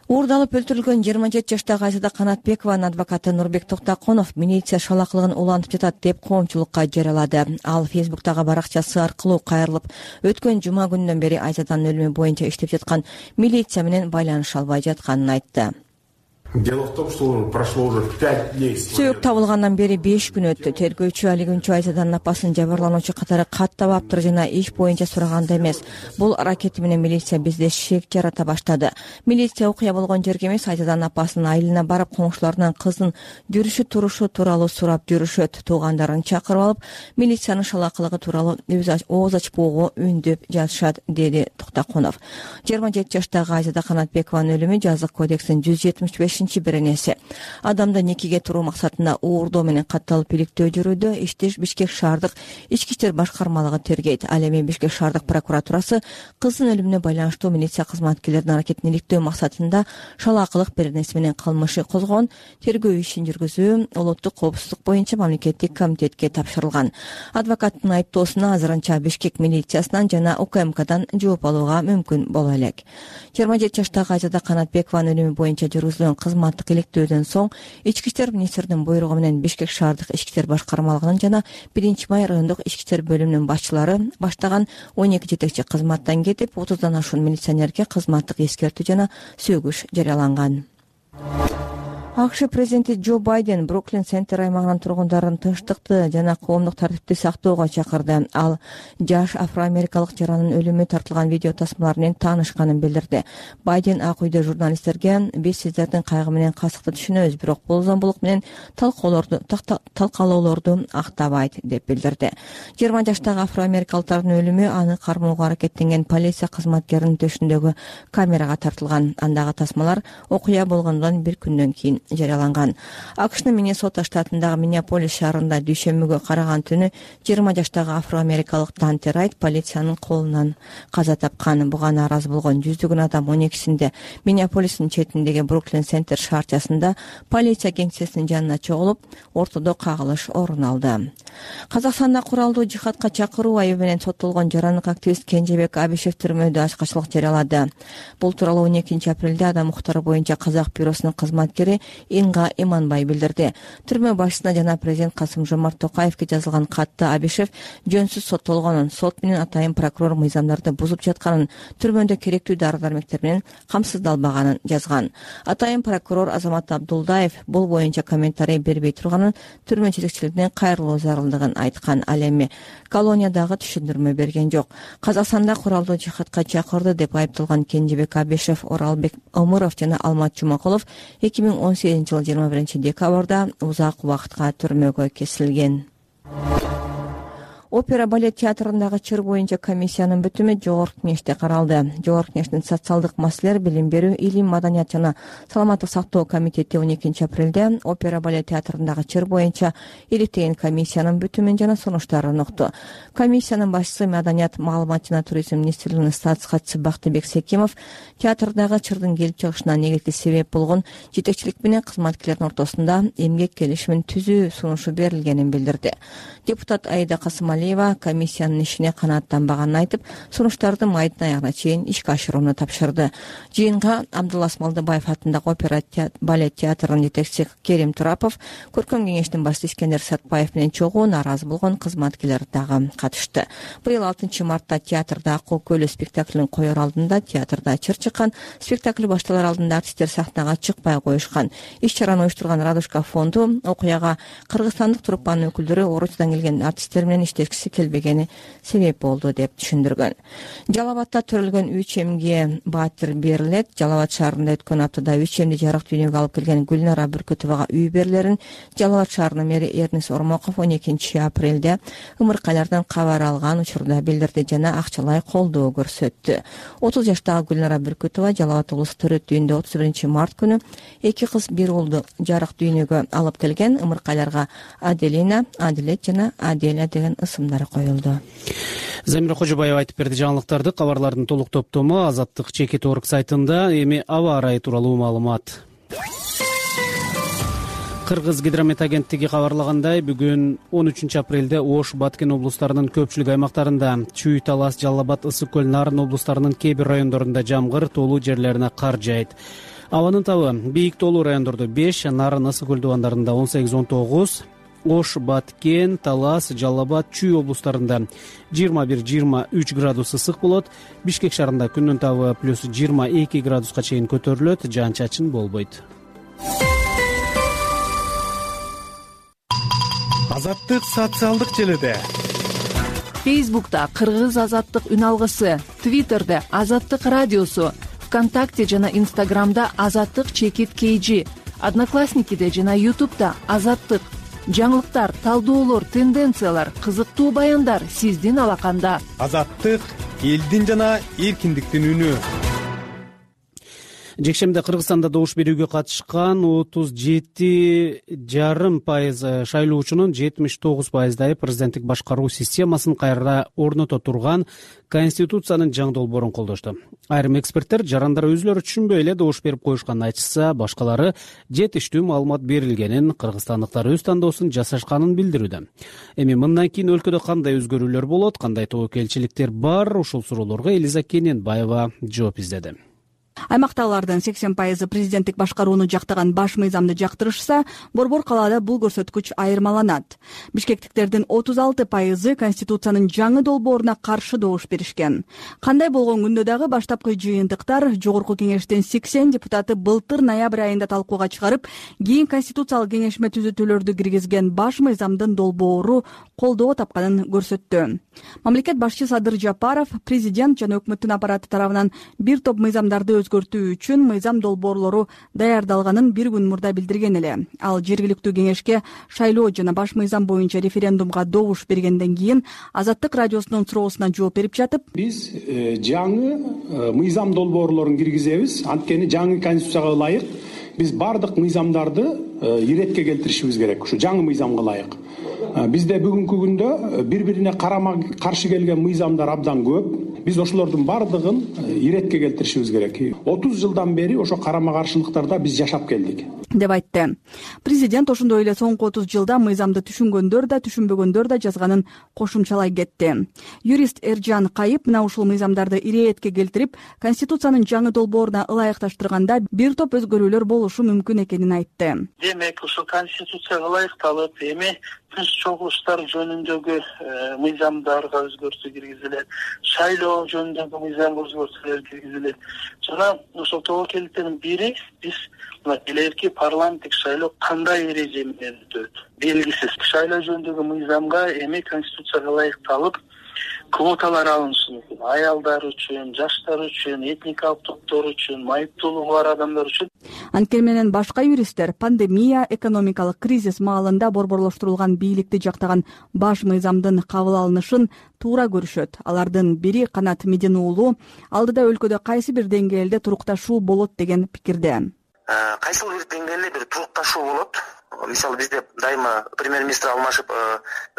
Уурдалып өлтүрүлгөн жыйырма жети жаштагы Айзада Канатбекованын адвокаты Нурбек Токтоконов милиция шалакылыгын улантып жатат деп коомчулукка жарыялады. Ал Фейсбуктагы баракчасы аркылуу кайрылып, өткөн жума күнүнөн бери Айзаданын өлүмү боюнча иштеп жаткан милиция менен байланыша албай жатканын айтты. Дело в том, что прошло уже пять дней. Сөөк табылгандан бери беш күн өттү. Тергөөчү али күнчү Айзаданын апасын жабырлануучу катары каттабаптыр жана иш боюнча сураганда эмес. Бул аракети менен милиция бизде шек жарата баштады. Милиция окуя болгон жерге эмес, Айзаданын апасынын айылына барып, коңшуларынан кыздын жүрүшү турушу тууралуу сурап жүрүшөт. Туугандарын чакырып алып, милициянын шалакылыгы тууралуу ооз ачпоого үндөп жатышат, деди Токтоконов. жыйырма жети жаштагы Айзада Канатбекованын өлүмү жазык кодекстин жүз жетимиш беш беренеси. Адамды никеге туруу максатында уурдоо менен катталып иликтөө жүрүүдө ишти Бишкек шаардык ички иштер башкармалыгы тергейт. Ал эми Бишкек шаардык прокуратурасы кыздын өлүмүнө байланыштуу милиция кызматкерлеринин аракетин иликтөө максатында шалаакылык беренеси менен кылмыш козгогон. Тергөө ишин жүргүзүү улуттук коопсуздук боюнча мамлекеттик комитетке тапшырылган. Адвокаттын айыптоосуна азырынча Бишкек милициясынан жана У К М Кдан жооп алууга мүмкүн боло элек. жыйырма жети жаштагы Айзада Канатбекованын өлүмү боюнча жүргүзүлгөн кызматтык иликтөөдөн соң ички иштер министринин буйругу менен Бишкек шаардык ички иштер башкармалыгынын жана биринчи май райондук ички иштер бөлүмүнүн башчылары баштаган он эки жетекчи кызматтан кетип, отуздан ашуун милиционерге кызматтык эскертүү жана сөгүш жарыяланган. акш президенти Джо Байден Бруклин Центр аймагынын тургундарын тынчтыкты жана коомдук тартипти сактоого чакырды. Ал жаш афроамерикалык жаранын өлүмү тартылган видео тасмалар менен таанышканын билдирди. Байден Ак үйдө журналисттерге биз сиздердин кайгы менен касыкты түшүнөбүз, бирок бул зомбулук менен талкуулоорду талкалоолорду актабайт деп билдирди. жыйырма жаштагы афроамерикалыктардын өлүмү аны кармоого аракеттенген полиция кызматкеринин төшүндөгү камерага тартылган. Андагы тасмалар окуя болгондон бир күндөн кийин жарыяланган. акштын Миннесота штатындагы Миннеаполис шаарында дүйшөмбүгө караган түнү жыйырма жаштагы афроамерикалык Данте Райт полициянын колунан каза тапкан. Буга нааразы болгон жүздөгөн адам он экисинде Миннеаполистин четиндеги Бруклин Центр шаарчасында полиция кеңсесинин жанына чогулуп, ортодо кагылыш орун алды. Казакстанда куралдуу жихадка чакыруу айыбы менен соттолгон жарандык активист Кенжебек Абишев түрмөдө ачкачылык жарыялады. Бул тууралуу он экинчи апрелде адам укуктары боюнча казак бюросунун кызматкери Инга Иманбай билдирди. Түрмө башчысына жана президент Касым-Жомарт Токаевге жазылган катта Абишев жөнсүз соттолгонун, сот менен атайын прокурор мыйзамдарды бузуп жатканын, түрмөдө керектүү дары-дармектер менен камсыздалбаганын жазган. Атайын прокурор Азамат Абдулдаев бул боюнча комментарий бербей турганын, түрмө жетекчилигине кайрылуу зарылдыгын айткан. Ал эми колониядагы түшүндүрмө берген жок. Казакстанда куралдуу жихадка чакырды деп айыпталган Кенжебек Абишев, Оралбек Омуров жана Алмат Жумакулов эки миң он сегизинчи жылы жыйырма биринчи декабрда узак убакытка түрмөгө кесилген. Опера балет театрындагы чыр боюнча комиссиянын бүтүмү Жогорку Кеңеште каралды. Жогорку Кеңештин социалдык маселелер, билим берүү, илим, маданият жана саламаттык сактоо комитети он экинчи апрелде опера балет театрындагы чыр боюнча иликтеген комиссиянын бүтүмүн жана сунуштарын укту. Комиссиянын башчысы Маданият, маалымат жана туризм министрлигинин статус катчысы Бактыбек Секимов театрдагы чырдын келип чыгышына негизги себеп болгон жетекчилик менен кызматкерлердин ортосунда эмгек келишимин түзүү сунушу берилгенин билдирди. Депутат Аида Касымалиева комиссиянын ишине канааттанбаганын айтып, сунуштарды майдын аягына чейин ишке ашырууну тапшырды. Жыйынга Абдулла Асмалдыбаев атындагы опера балет театрынын жетекчиси Керим Турапов, көркөм кеңештин башчысы Искендер Сатпаев менен чогуу нааразы болгон кызматкерлер дагы катышты. Быйыл алтынчы мартта театрда Акыл көлү спектаклин коер алдында театрда чыр чыккан. Спектакль башталар алдында артисттер сахнага чыкпай коюшкан. Иш-чараны уюштурган Радушка фонду окуяга кыргызстандык труппанын өкүлдөрү Орусиядан келген артисттер менен иштешкиси келбегени себеп болду деп түшүндүргөн. Жалал-Абадта төрөлгөн үч эмге баатыр берилет. Жалал-Абад шаарында өткөн аптада үч эмди жарык дүйнөгө алып келген Гүлнара Бүркөтовага үй берилерин Жалал-Абад шаарынын мэри Эрнис Ормоков он экинчи апрелде ымыркайлардан кабар алган учурда билдирди жана акчалай колдоо көрсөттү. отуз жаштагы Гүлнара Бүркөтова Жалал-Абад облустук төрөт үйүндө отуз биринчи март күнү эки кыз бир уулду жарык дүйнөгө алып келген. Ымыркайларга Аделина, Адилет жана Аделя деген ысымдар коюлду. Замира Кожобаева айтып берди жаңылыктарды. Кабарлардын толук топтому Азаттык чекит орг сайтында. Эми аба ырайы тууралуу маалымат. Кыргыз гидромет агенттиги кабарлагандай, бүгүн он үчүнчү апрелде Ош, Баткен облустарынын көпчүлүк аймактарында, Чүй, Талас, Жалал-Абад, Ысык көл, Нарын облустарынын кээ бир райондорунда жамгыр, тоолуу жерлерине кар жаайт. Абанын табы бийик тоолуу райондордо беш, Нарын, Ысык көл дубандарында он сегиз он тогуз, Ош, Баткен, Талас, Жалал-Абад, Чүй облустарында жыйырма бир жыйырма үч градус ысык болот. Бишкек шаарында күндүн табы плюс жыйырма эки градуска чейин көтөрүлөт, жаан-чачын болбойт. Азаттык социалдык желеде. Фейсбукта Кыргыз Азаттык үн алгысы, Твиттерде Азаттык радиосу, ВКонтакте жана Инстаграмда Азаттык чекит кейжи, Одноклассникиде жана Ютубда Азаттык. Жаңылыктар, талдоолор, тенденциялар, кызыктуу баяндар сиздин алаканда. Азаттык элдин жана эркиндиктин үнү. Жекшемде Кыргызстанда добуш берүүгө катышкан отуз жети жарым пайыз шайлоочунун жетимиш тогуз пайыздайы президенттик башкаруу системасын кайра орното турган Конституциянын жаңы долбоорун колдошту. Айрым эксперттер жарандар өзүлөрү түшүнбөй эле добуш берип коюшканын айтышса, башкалары жетиштүү маалымат берилгенин, кыргызстандыктар өз тандоосун жасашканын билдирүүдө. Эми мындан кийин өлкөдө кандай өзгөрүүлөр болот, кандай тобокелчиликтер бар, ушул суроолорго Элиза Кененбаева жооп издеди. аймактагылардын сексен пайызы президенттик башкарууну жактаган баш мыйзамды жактырышса, Борбор калаада бул көрсөткүч айырмаланат. Бишкектиктердин отуз алты пайызы Конституциянын жаңы долбооруна каршы добуш беришкен. Кандай болгон күндө дагы баштапкы жыйынтыктар Жогорку кеңештин сексен депутаты былтыр ноябрь айында талкууга чыгарып, кийин Конституциялык кеңешме түзөтүүлөрдү киргизген баш мыйзамдын долбоору колдоо тапканын көрсөттү. Мамлекет башчы Садыр Жапаров президент жана өкмөттүн аппараты тарабынан бир топ мыйзамдарды өзгөртүү үчүн мыйзам долбоорлору даярдалганын бир күн мурда билдирген эле. Ал жергиликтүү кеңешке шайлоо жана баш мыйзам боюнча референдумга добуш бергенден кийин Азаттык радиосунун суроосуна жооп берип жатып, биз жаңы мыйзам долбоорлорун киргизебиз. Анткени жаңы конституцияга ылайык биз бардык мыйзамдарды иретке келтиришибиз керек. Ушу жаңы мыйзамга ылайык. Бизде бүгүнкү күндө бири-бирине карама каршы келген мыйзамдар абдан көп. Биз ошолордун бардыгын иретке келтиришибиз керек. отуз жылдан бери ошо карама каршылыктарда биз жашап келдик деп айтты. Президент ошондой эле соңку отуз жылда мыйзамды түшүнгөндөр да, түшүнбөгөндөр да жазганын кошумчалай кетти. Юрист Эржан Кайып мына ушул мыйзамдарды иретке келтирип, Конституциянын жаңы долбооруна ылайыкташтырганда бир топ өзгөрүүлөр болушу мүмкүн экенин айтты. Демек, ушул Конституцияга ылайыкталып, эми түз чогулуштар жөнүндөгү мыйзамдарга өзгөртүү киргизилет, шайлоо жөнүндөгү мыйзамга өзгөртүүлөр киргизилет. Жана ошол тобокелдиктердин бири биз мына келерки парламенттик шайлоо кандай эреже менен өтөт белгисиз. Шайлоо жөнүндөгү мыйзамга эми Конституцияга ылайыкталып квоталар алынышы мүмкүн. Аялдар үчүн, жаштар үчүн, этникалык топтор үчүн, майыптуулугу бар адамдар үчүн. Анткени менен башка юристтер пандемия, экономикалык кризис маалында борборлоштурулган бийликти жактаган баш мыйзамдын кабыл алынышын туура көрүшөт. Алардын бири Канат Медин уулу алдыда өлкөдө кайсы бир деңгээлде турукташуу болот деген пикирде. Кайсы бир деңгээлде бир турукташуу болот. Мисалы бизде дайыма премьер-министр алмашып,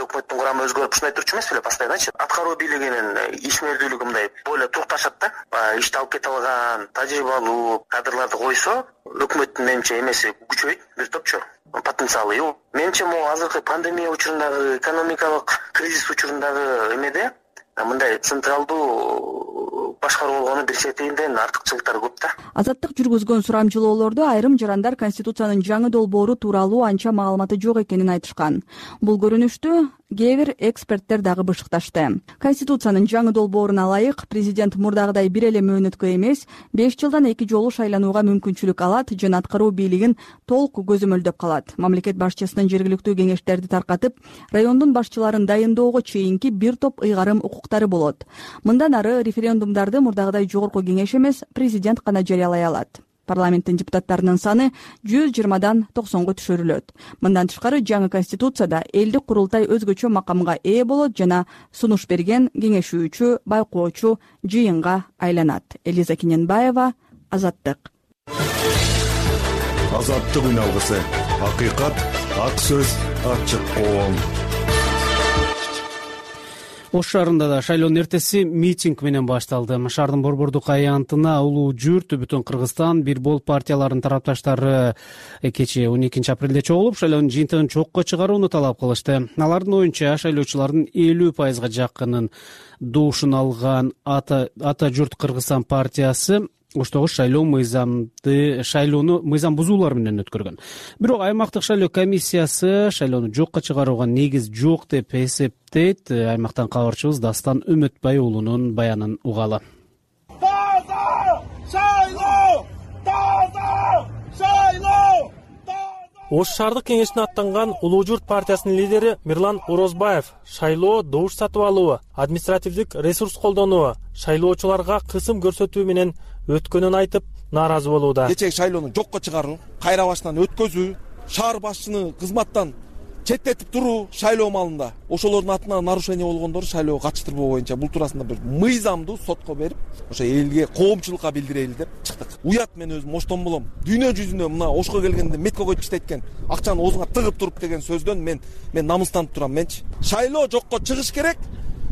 өкмөттүн курамы өзгөрүп ушундай турчу эмес беле постоянночу. Аткаруу бийлигинин ишмердүүлүгү мындай боло турукташат да. Ишти алып кете алган, тажрыйбалуу кадрларды койсо, өкмөттүн менимче эмеси күчөйт бир топчу. Потенциалы жок. Менимче могу азыркы пандемия учурундагы, экономикалык кризис учурундагы эмеде мындай централдуу башкаруу болгону бир четинден артыкчылыктары көп да. Азаттык жүргүзгөн сурамжылоолордо айрым жарандар Конституциянын жаңы долбоору тууралуу анча маалыматы жок экенин айтышкан. Бул көрүнүштү кээ бир эксперттер дагы бышыкташты. Конституциянын жаңы долбооруна ылайык президент мурдагыдай бир эле мөөнөткө эмес, беш жылдан эки жолу шайланууга мүмкүнчүлүк алат жана аткаруу бийлигин толук көзөмөлдөп калат. Мамлекет башчысынын жергиликтүү кеңештерди таркатып, райондун башчыларын дайындоого чейинки бир топ ыйгарым укуктары болот. Мындан ары референдумдарды мурдагыдай жогорку кеңеш эмес, президент гана жарыялай алат. Парламенттин депутаттарынын саны жүз жыйырмадан токсонго түшүрүлөт. Мындан тышкары жаңы конституцияда элдик курултай өзгөчө макамга ээ болот жана сунуш берген кеңешүүчү, байкоочу жыйынга айланат. Элиза Кененбаева, Азаттык. Азаттык үн алгысы. Акыйкат, ак сөз, ачык коом. Ош шаарында да шайлоонун эртеси митинг менен башталды. Шаардын борбордук аянтына улуу журт, Бүтүн Кыргызстан, Бир Бол партияларынын тарапташтары кечээ он экинчи апрелде чогулуп, шайлоонун жыйынтыгын чокко чыгарууну талап кылышты. Алардын оюнча, шайлоочулардын элүү пайызга жакынын добушун алган Ата, Ата журт Кыргызстан партиясы оштогу шайлоо мыйзамды шайлоону мыйзам бузуулар менен өткөргөн. Бирок аймактык шайлоо комиссиясы шайлоону жокко чыгарууга негиз жок деп эсептейт. Аймактан кабарчыбыз Дастан Үмөтбай уулунун баянын угалы. Таза шайлоо! Таза шайлоо! Ош шаардык кеңешине аттанган Улуу журт партиясынын лидери Мирлан Орозбаев шайлоо, добуш сатып алуу, административдик ресурс колдонуу, шайлоочуларга кысым көрсөтүү менен өткөнүн айтып, нааразы болууда. Кечеги шайлоону жокко чыгаруу, кайра башынан өткөзүү, шаар башчыны кызматтан четтетип туруу шайлоо маалында ошолордун атынан нарушение болгондорду шайлоого катыштырбоо боюнча бул туурасында бир мыйзамдуу сотко берип, ошо элге, коомчулукка билдирели деп чыктык. Уят, мен өзүм оштон болом. Дүйнө жүзүндө мына Ошко келгенде метко койуп иштейт акчаны оозуңа тыгып туруп деген сөздөн мен мен намыстанып турам менчи. Шайлоо жокко чыгыш керек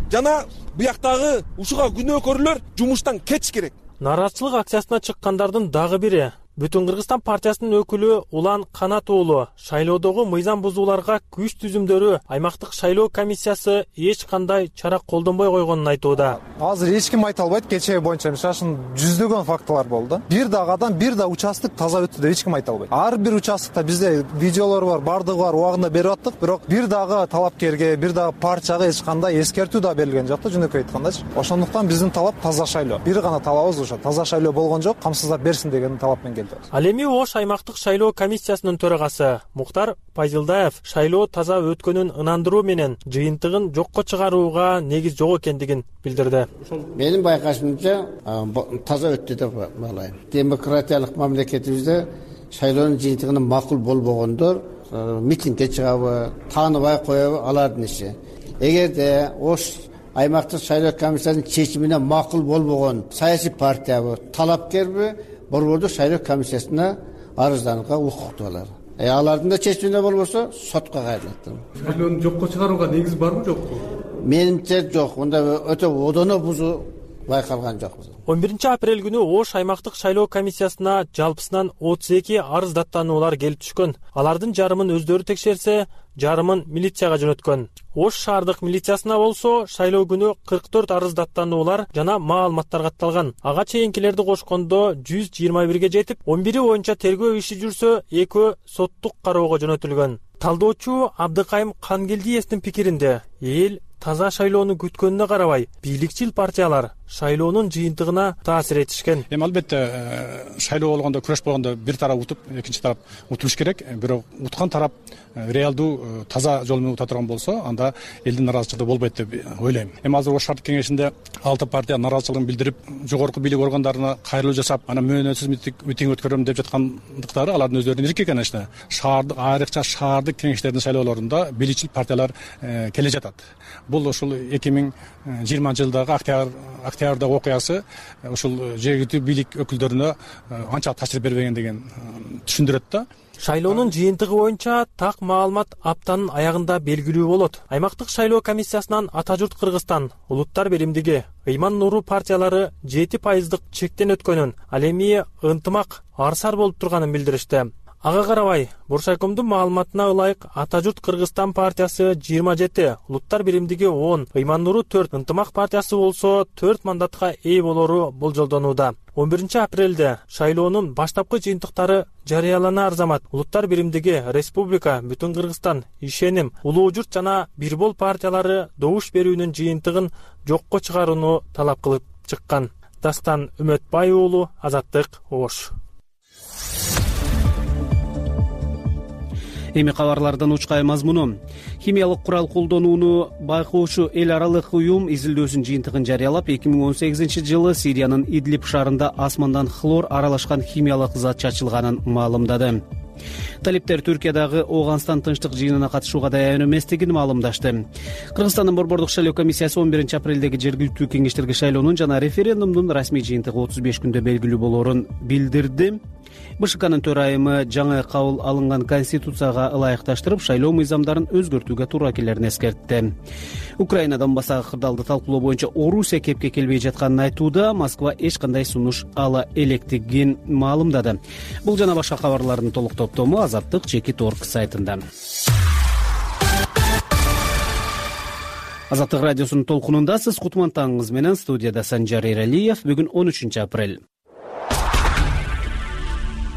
жана буяктагы ушуга күнөөкөрлөр жумуштан кетиш керек. Нааразычылык акциясына чыккандардын дагы бири Бүтүн Кыргызстан партиясынын өкүлү Улан Канат уулу шайлоодогу мыйзам бузууларга күч түзүмдөрү аймактык шайлоо комиссиясы эч кандай чара колдонбой койгонун айтууда. азыр эч ким айта албайт кечеги боюнча мисалы жүздөгөн фактылар болду. Бир дагы адам бир да участок таза өттү деп эч ким айта албайт. Ар бир участокто бизде видеолор бар, бардыгы бар, убагында берип аттык, бирок бир дагы талапкерге, бир дагы партияга эч кандай эскертүү да берилген жок да, жөнөкөй айткандачы. Ошондуктан биздин талап таза шайлоо. Бир гана талабыбыз ошо, таза шайлоо болгон жок, камсыздап берсин деген талап менен келдик. Ал эми Ош аймактык шайлоо комиссиясынын төрагасы Муктар Пайзылдаев шайлоо таза өткөнүн ынандыруу менен жыйынтыгын жокко чыгарууга негиз жок экендигин билдирди. Менин байкашымча таза өттү деп баалайм. Демократиялык мамлекетибизде шайлоонун жыйынтыгынын макул болбогондор митингге чыгабы, тааныбай коебу алардын иши. Эгерде Ош аймактык шайлоо комиссиясынын чечимине макул болбогон саясий партиябы, талапкерби борбордук шайлоо комиссиясына арызданууга укуктуу алар. Э алардын да чечимине болбосо сотко кайрылат. Шайлоону жокко чыгарууга негиз барбы жокпу? Менимче жок. Мында өтө одоно бузуу байкалган жок. он биринчи апрель күнү Ош аймактык шайлоо комиссиясына жалпысынан отуз эки арыз даттануулар келип түшкөн. Алардын жарымын өздөрү текшерсе, жарымын милицияга жөнөткөн. Ош шаардык милициясына болсо шайлоо күнү кырк төрт арыз даттануулар жана маалыматтар катталган. Ага чейинкилерди кошкондо жүз жыйырма бирге жетип, он бири боюнча тергөө иши жүрсө, экөө соттук кароого жөнөтүлгөн. Талдоочу Абдыкайым Кангелдиевдин пикиринде, эл таза шайлоону күткөнүнө карабай, бийликчил партиялар шайлоонун жыйынтыгына таасир этишкен. Эми албетте шайлоо болгондо, күрөш болгондо бир тарап утуп, экинчи тарап утулуш керек. Бирок уткан тарап реалдуу таза жол менен ута турган болсо, анда элдин наразычылыгы болбойт деп ойлойм. Эми азыр Ош шаардык кеңешинде алты партия наразычылыгын билдирип, жогорку бийлик органдарына кайрылуу жасап, анан мөөнөтсүз митинг өткөрөм деп жаткандыктары алардын өздөрүнүн эрки экен. Шаардык, айрыкча шаардык кеңештердин шайлоолорунда бийликчил партиялар келе жатат. Бул ушул эки миң жыйырманчы жылдагы октябрь октябрдагы окуясы ушул жергиликтүү бийлик өкүлдөрүнө анча таасир бербеген деген түшүндүрөт да. Шайлоонун жыйынтыгы боюнча так маалымат аптанын аягында белгилүү болот. Аймактык шайлоо комиссиясынан Ата журт Кыргызстан, Улуттар биримдиги, Ыйман Нуру партиялары жети пайыздык чектен өткөнүн, ал эми ынтымак арсар болуп турганын билдиришти. Ага карабай, Буршайкомдун маалыматына ылайык Ата журт Кыргызстан партиясы жыйырма жети, Улуттар биримдиги он, Ыйман Нуру төрт, Ынтымак партиясы болсо төрт мандатка ээ болору болжолдонууда. он биринчи апрелде шайлоонун баштапкы жыйынтыктары жарыяланаар замат Улуттар биримдиги, Республика, Бүтүн Кыргызстан, Ишеним, Улуу журт жана Бирбол партиялары добуш берүүнүн жыйынтыгын жокко чыгарууну талап кылып чыккан. Дастан Үмөтбай уулу, Азаттык, Ош. Эми кабарлардан учкай мазмуну. Химиялык курал колдонууну байкоочу эл аралык уюм изилдөөсүнүн жыйынтыгын жарыялап, эки миң он сегизинчи жылы Сириянын Идлиб шаарында асмандан хлор аралашкан химиялык зат чачылганын маалымдады. Талиптер Түркиядагы Ооганстан тынчтык жыйынына катышууга даяр эместигин маалымдашты. Кыргызстандын борбордук шайлоо комиссиясы он биринчи апрелдеги жергиликтүү кеңештерге шайлоонун жана референдумдун расмий жыйынтыгы отуз беш күндө белгилүү болоорун билдирди. БШКнын төрайымы жаңы кабыл алынган конституцияга ылайыкташтырып, шайлоо мыйзамдарын өзгөртүүгө туура келерин эскертти. Украина Донбассагы кырдаалды талкуулоо боюнча Орусия кепке келбей жатканын айтууда, Москва эч кандай сунуш ала электигин маалымдады. Бул жана башка кабарлардын толук топтому Азаттык Чекит точка орг сайтында. Азаттык радиосунун толкунунда сиз кутман таңыңыз менен, студияда Санжар Эралиев. Бүгүн он үчүнчү апрель.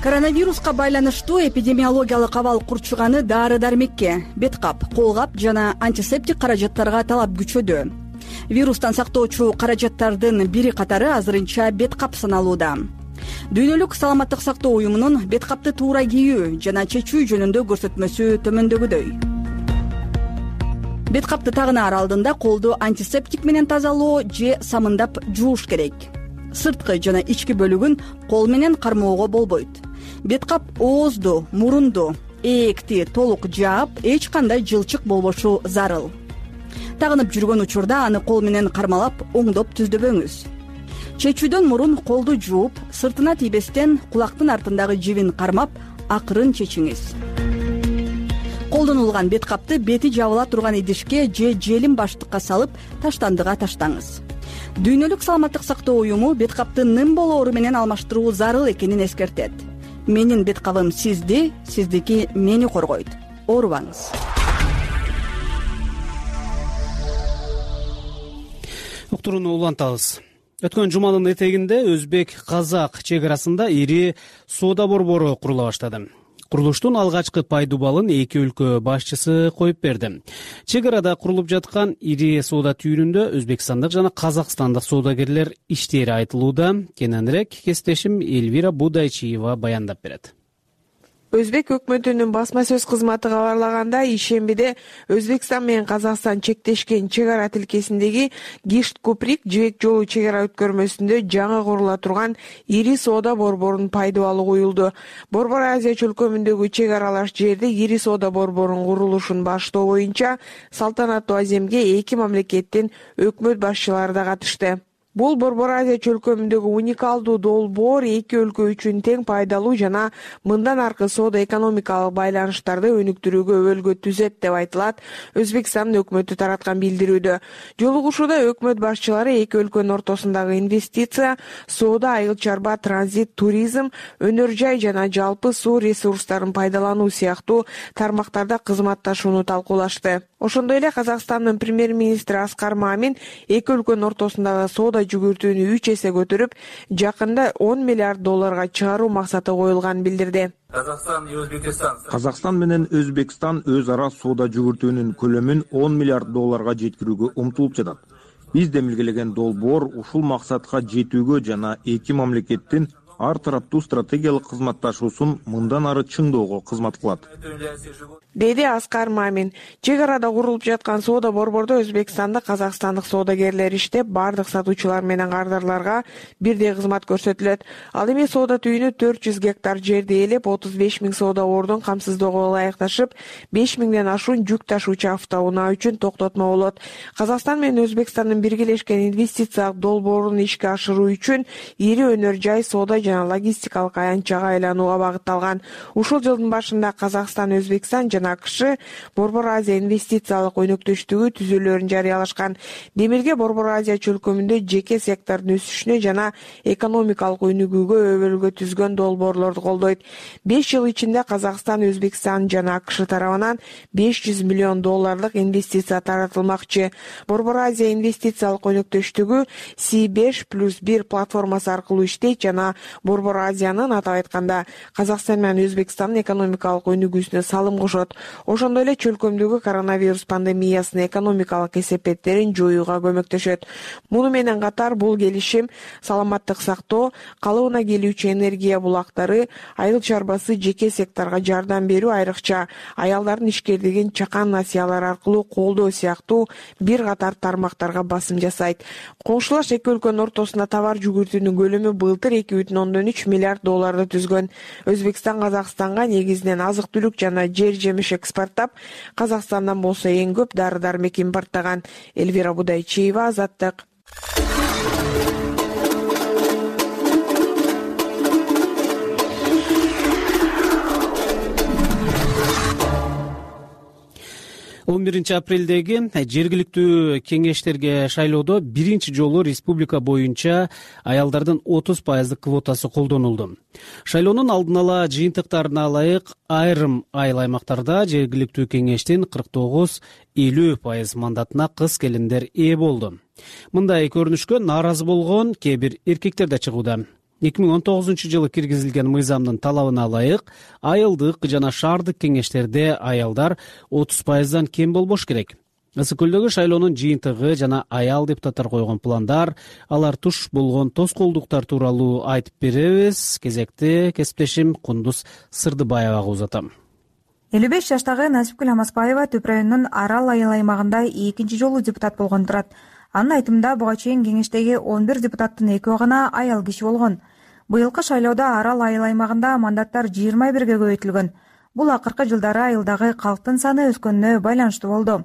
Коронавируска байланыштуу эпидемиологиялык абал курчуганы дары-дармекке, бет кап, кол кап жана антисептик каражаттарга талап күчөдү. Вирустан сактоочу каражаттардын бири катары азырынча бет кап саналууда. Дүйнөлүк саламаттык сактоо уюмунун бет капты туура кийүү жана чечүү жөнүндө көрсөтмөсү төмөндөгүдөй. Бет капты тагынаар алдында колду антисептик менен тазалоо же самындап жууш керек. Сырткы жана ички бөлүгүн кол менен кармоого болбойт. Бет кап оозду, мурунду, ээкти толук жаап, эч кандай жылчык болбошу зарыл. Тагынып жүргөн учурда аны кол менен кармалап, оңдоп түздөбөңүз. Чечүүдөн мурун колду жууп, сыртына тийбестен кулактын артындагы жибин кармап, акырын чечиңиз. Колдонулган бет капты бети жабыла турган идишке же желим баштыкка салып, таштандыга таштаңыз. Дүйнөлүк саламаттык сактоо уюму бет капты ным болоору менен алмаштыруу зарыл экенин эскертет. Менин бет кабым сизди, сиздики мени коргойт. Оорубаңыз. уктурууну улантабыз. Өткөн жуманын этегинде өзбек казак чек арасында ири соода борбору курула баштады. Курулуштун алгачкы пайдубалын эки өлкө башчысы коюп берди. Чек арада курулуп жаткан ири соода түйүнүндө өзбекстандык жана казакстандык соодагерлер иштери айтылууда. Кененирээк кесиптешим Эльвира Будайчиева баяндап берет. Өзбек өкмөтүнүн басма сөз кызматы кабарлаганда, ишембиде Өзбекстан менен Казакстан чектешкен чек ара тилкесиндеги Гишт Куприк жибек жолу чек ара өткөрмөсүндө жаңы курула турган ири соода борборунун пайдубалы коюлду. Борбор Азия чөлкөмүндөгү чек аралаш жерде ири соода борборунун курулушун баштоо боюнча салтанаттуу аземге эки мамлекеттин өкмөт башчылары да катышты. Бул Борбор Азия чөлкөмүндөгү уникалдуу долбоор эки өлкө үчүн тең пайдалуу жана мындан аркы соода экономикалык байланыштарды өнүктүрүүгө өбөлгө түзөт деп айтылат Өзбекстандын өкмөтү тараткан билдирүүдө. Жолугушууда өкмөт башчылары эки өлкөнүн ортосундагы инвестиция, соода, айыл чарба, транзит, туризм, өнөр жай жана жалпы суу ресурстарын пайдалануу сыяктуу тармактарда кызматташууну талкуулашты. Ошондой эле Казакстандын премьер-министри Аскар Мамин эки өлкөнүн ортосундагы соода жүгүртүүнү үч эсе көтөрүп, жакында он миллиард долларга чыгаруу максаты коюлганын билдирди. Казакстан менен Өзбекстан өз ара соода жүгүртүүнүн көлөмүн он миллиард долларга жеткирүүгө умтулуп жатат. Биз демилгелеген долбоор ушул максатка жетүүгө жана эки мамлекеттин ар тараптуу стратегиялык кызматташуусун мындан ары чыңдоого кызмат кылат, деди Аскар Мамин. Чек арада курулуп жаткан соода борбордо Өзбекстандык, казакстандык соодагерлер иштеп, бардык сатуучулар менен кардарларга бирдей кызмат көрсөтүлөт. Ал эми соода түйүнү төрт жүз гектар жерди ээлеп, отуз беш миң соода ордун камсыздоого ылайыкташып, беш миңден ашуун жүк ташуучу автоунаа үчүн токтотмо болот. Казакстан менен Өзбекстандын биргелешкен инвестициялык долбоорун ишке ашыруу үчүн ири өнөр жай, соода жана логистикалык аянтчага айланууга багытталган. Ушул жылдын башында Казакстан, Өзбекстан жана АКШ Борбор Азия инвестициялык өнөктөштүгү түзүүлөрүн жарыялашкан. Демирге Борбор Азия чөлкөмүндө жеке сектордун өсүшүнө жана экономикалык өнүгүүгө өбөлгө түзгөн долбоорлорду колдойт. беш жыл ичинде Казакстан, Өзбекстан жана АКШ тарабынан беш жүз миллион долларлык инвестиция таратылмакчы. Борбор Азия инвестициялык өнөктөштүгү Си беш плюс бир платформасы аркылуу иштейт жана Борбор Азиянын, атап айтканда, Казакстан менен Өзбекстандын экономикалык өнүгүүсүнө салым кошот. Ошондой эле чөлкөмдөгү коронавирус пандемиясынын экономикалык кесепеттерин жоюуга көмөктөшөт. Муну менен катар бул келишим саламаттык сактоо, калыбына келүүчү энергия булактары, айыл чарбасы, жеке секторго жардам берүү, айрыкча аялдардын ишкерлигин чакан насыялар аркылуу колдоо сыяктуу бир катар тармактарга басым жасайт. Коңшулаш эки өлкөнүн ортосунда товар жүгүртүүнүн көлөмү былтыр эки бүтүн ондон үч миллиард долларды түзгөн. Өзбекстан Казакстанга негизинен азык-түлүк жана жер жемиш экспорттап, Казакстандан болсо эң көп дары-дармек импорттаган. Эльвира Будайчиева, Азаттык. он биринчи апрелдеги жергиликтүү кеңештерге шайлоодо биринчи жолу республика боюнча аялдардын отуз пайыздык квотасы колдонулду. Шайлоонун алдын ала жыйынтыктарына ылайык айрым айыл аймактарда жергиликтүү кеңештин кырк тогуз элүү пайыз мандатына кыз келиндер ээ болду. Мындай көрүнүшкө нааразы болгон кээ бир эркектер да чыгууда. эки миң он тогузунчу жылы киргизилген мыйзамдын талабына ылайык айылдык жана шаардык кеңештерде аялдар отуз пайыздан кем болбош керек. Ысык көлдөгү шайлоонун жыйынтыгы жана аял депутаттар койгон пландар, алар туш болгон тоскоолдуктар тууралуу айтып беребиз. Кезекти кесиптешим Кундуз Сырдыбаевага узатам. элүү беш жаштагы Насипкүл Амаспаева Түп районунун Арал айыл аймагында экинчи жолу депутат болгон турат. Анын айтымында буга чейин кеңештеги он бир депутаттын экөө гана аял киши болгон. Быйылкы шайлоодо Арал айыл аймагында мандаттар жыйырма бирге көбөйтүлгөн. Бул акыркы жылдары айылдагы калктын саны өскөнүнө байланыштуу болду.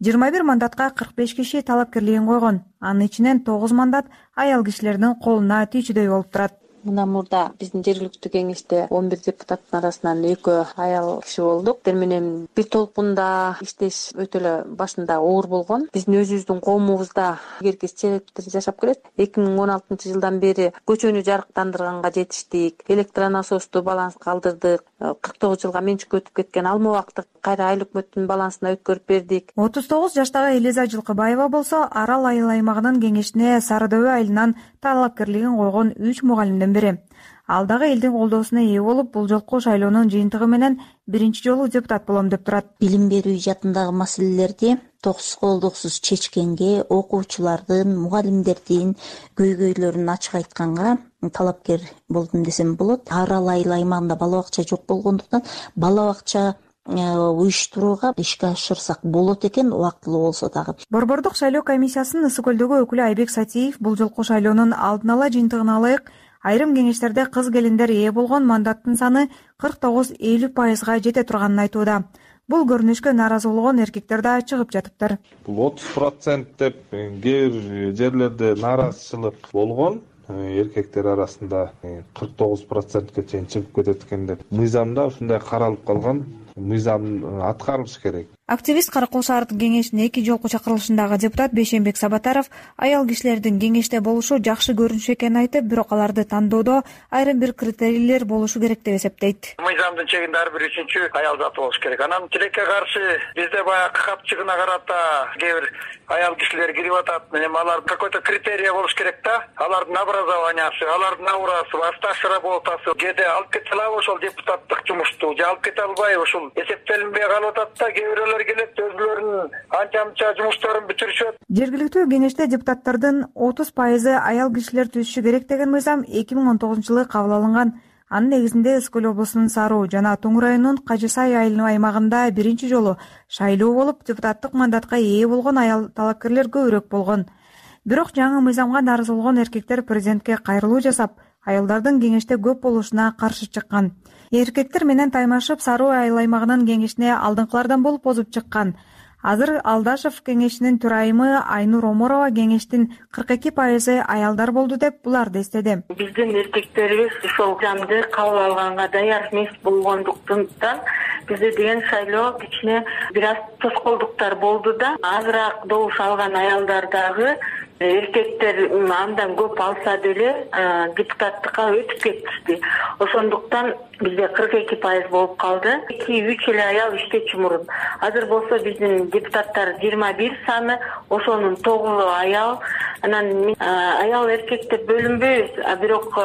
жыйырма бир мандатка кырк беш киши талапкерлигин койгон. Анын ичинен тогуз мандат аял кишилердин колуна тийчүдөй болуп турат. Мындан мурда биздин жергиликтүү кеңеште он бир депутаттын арасынан экөө аял киши болдук. Тер менен бир толкунда иштеш өтө эле башында оор болгон. Биздин өзүбүздүн коомубузда илгерки чечилиптер жашап келет. эки миң он алтынчы жылдан бери көчөнү жарыктандырганга жетиштик, электронасосту баланска алдырдык, кырк тогуз жылга менчикке өтүп кеткен алма убакытты кайра айыл өкмөттүн балансына өткөрүп бердик. отуз тогуз жаштагы Элиза Жылкыбаева болсо Арал айыл аймагынын кеңешине Сары Дөбө айылынан талапкерлигин койгон үч мугалимден бири. Ал дагы элдин колдоосуна ээ болуп, бул жолку шайлоонун жыйынтыгы менен биринчи жолу депутат болом деп турат. Билим берүү жаатындагы маселелерди тосуколдуксуз чечкенге, окуучулардын, мугалимдердин көйгөйлөрүн ачык айтканга талапкер болдум десем болот. Арал айыл аймагында бала бакча жок болгондуктан бала бакча уюштурууга ишке ашырсак болот экен, убактылуу болсо дагы. Борбордук шайлоо комиссиясынын Ысык көлдөгү өкүлү Айбек Сатиев бул жолку шайлоонун алдын ала жыйынтыгына ылайык айрым кеңештерде кыз келиндер ээ болгон мандаттын саны кырк тогуз элүү пайызга жете турганын айтууда. Бул көрүнүшкө нааразы болгон эркектер да чыгып жатыптыр. Бул отуз процент деп кээ бир жерлерде нааразычылык болгон. Эркектер арасында кырк тогуз процентке чейин чыгып кетет экен деп. Мыйзамда ушундай каралып калган. Мыйзам аткарылыш керек. Активист Каракол шаардык кеңешинин эки жолку чакырылышындагы депутат Бейшенбек Сабатаров аял кишилердин кеңеште болушу жакшы көрүнүш экенин айтып, бирок аларды тандоодо айрым бир критерийлер болушу керек деп эсептейт. Мыйзамдын чегинде ар бир үчүнчү аял заты болуш керек. Анан тилекке каршы бизде баягы капчыгына карата кээ бир аял кишилер кирип атат. Эми алар какой-то критерий болуш керек да. Алардын образованиясы, алардын аурасы, стаж работасы кээде алып кете алабы ошол депутаттык жумушту, же алып кете албайбы, ушул эсептелинбей калып атат да. Кээ бирөөлөр келет, өзүлөрүнүн анча-мынча жумуштарын бүтүрүшөт. Жергиликтүү кеңеште депутаттардын отуз пайызы аял кишилер түзүшү керек деген мыйзам эки миң он тогузунчу жылы кабыл алынган. Анын негизинде Ысык көл облусунун Саруу жана Тоң районунун Кажы Сай айыл аймагында биринчи жолу шайлоо болуп, депутаттык мандатка ээ болгон аял талапкерлер көбүрөөк болгон. Бирок жаңы мыйзамга нааразы болгон эркектер президентке кайрылуу жасап, аялдардын кеңеште көп болушуна каршы чыккан. Эркектер менен таймашып Саруу айыл аймагынын кеңешине алдыңкылардан болуп озуп чыккан. Азыр Алдашев кеңешинин төрайымы Айнур Оморова кеңештин кырк эки пайызы аялдар болду деп буларды эстеди. Биздин эркектерибиз ушул мыйзамды кабыл алганга даяр эмес болгондуктан бизде деген шайлоо кичине бир аз тоскоолдуктар болду да. Азыраак добуш алган аялдар дагы эркектер андан көп алса деле депутаттыкка өтүп кетишти. Ошондуктан бизде кырк эки пайыз болуп калды. эки үч эле аял иштечү мурун. Азыр болсо биздин депутаттар жыйырма бир саны, ошонун тогузу аял. Анан аял эркек деп бөлүнбөйбүз, а бирок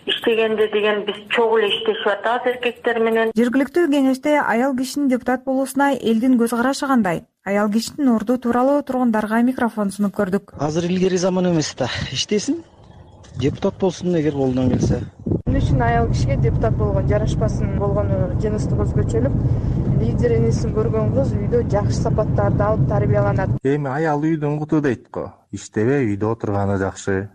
иштегенде деген биз чогуу эле иштешип атабыз эркектер менен. Жергиликтүү кеңеште аял кишинин депутат болуусуна элдин көз карашы кандай? Аял кишинин орду тууралуу тургундарга микрофон сунуп көрдүк. Азыр илгери заман эмес да. Иштесин, депутат болсун эгер колунан келсе. Эмне үчүн аял кишиге депутат болгон жарашпасын болгону жыныстык өзгөчөлүк. Лидер энесин көргөн кыз үйдө жакшы сапаттарды алып тарбияланат. Эми аял үйдүн куту дейт го. Иштебей үйдө отурганы жакшы.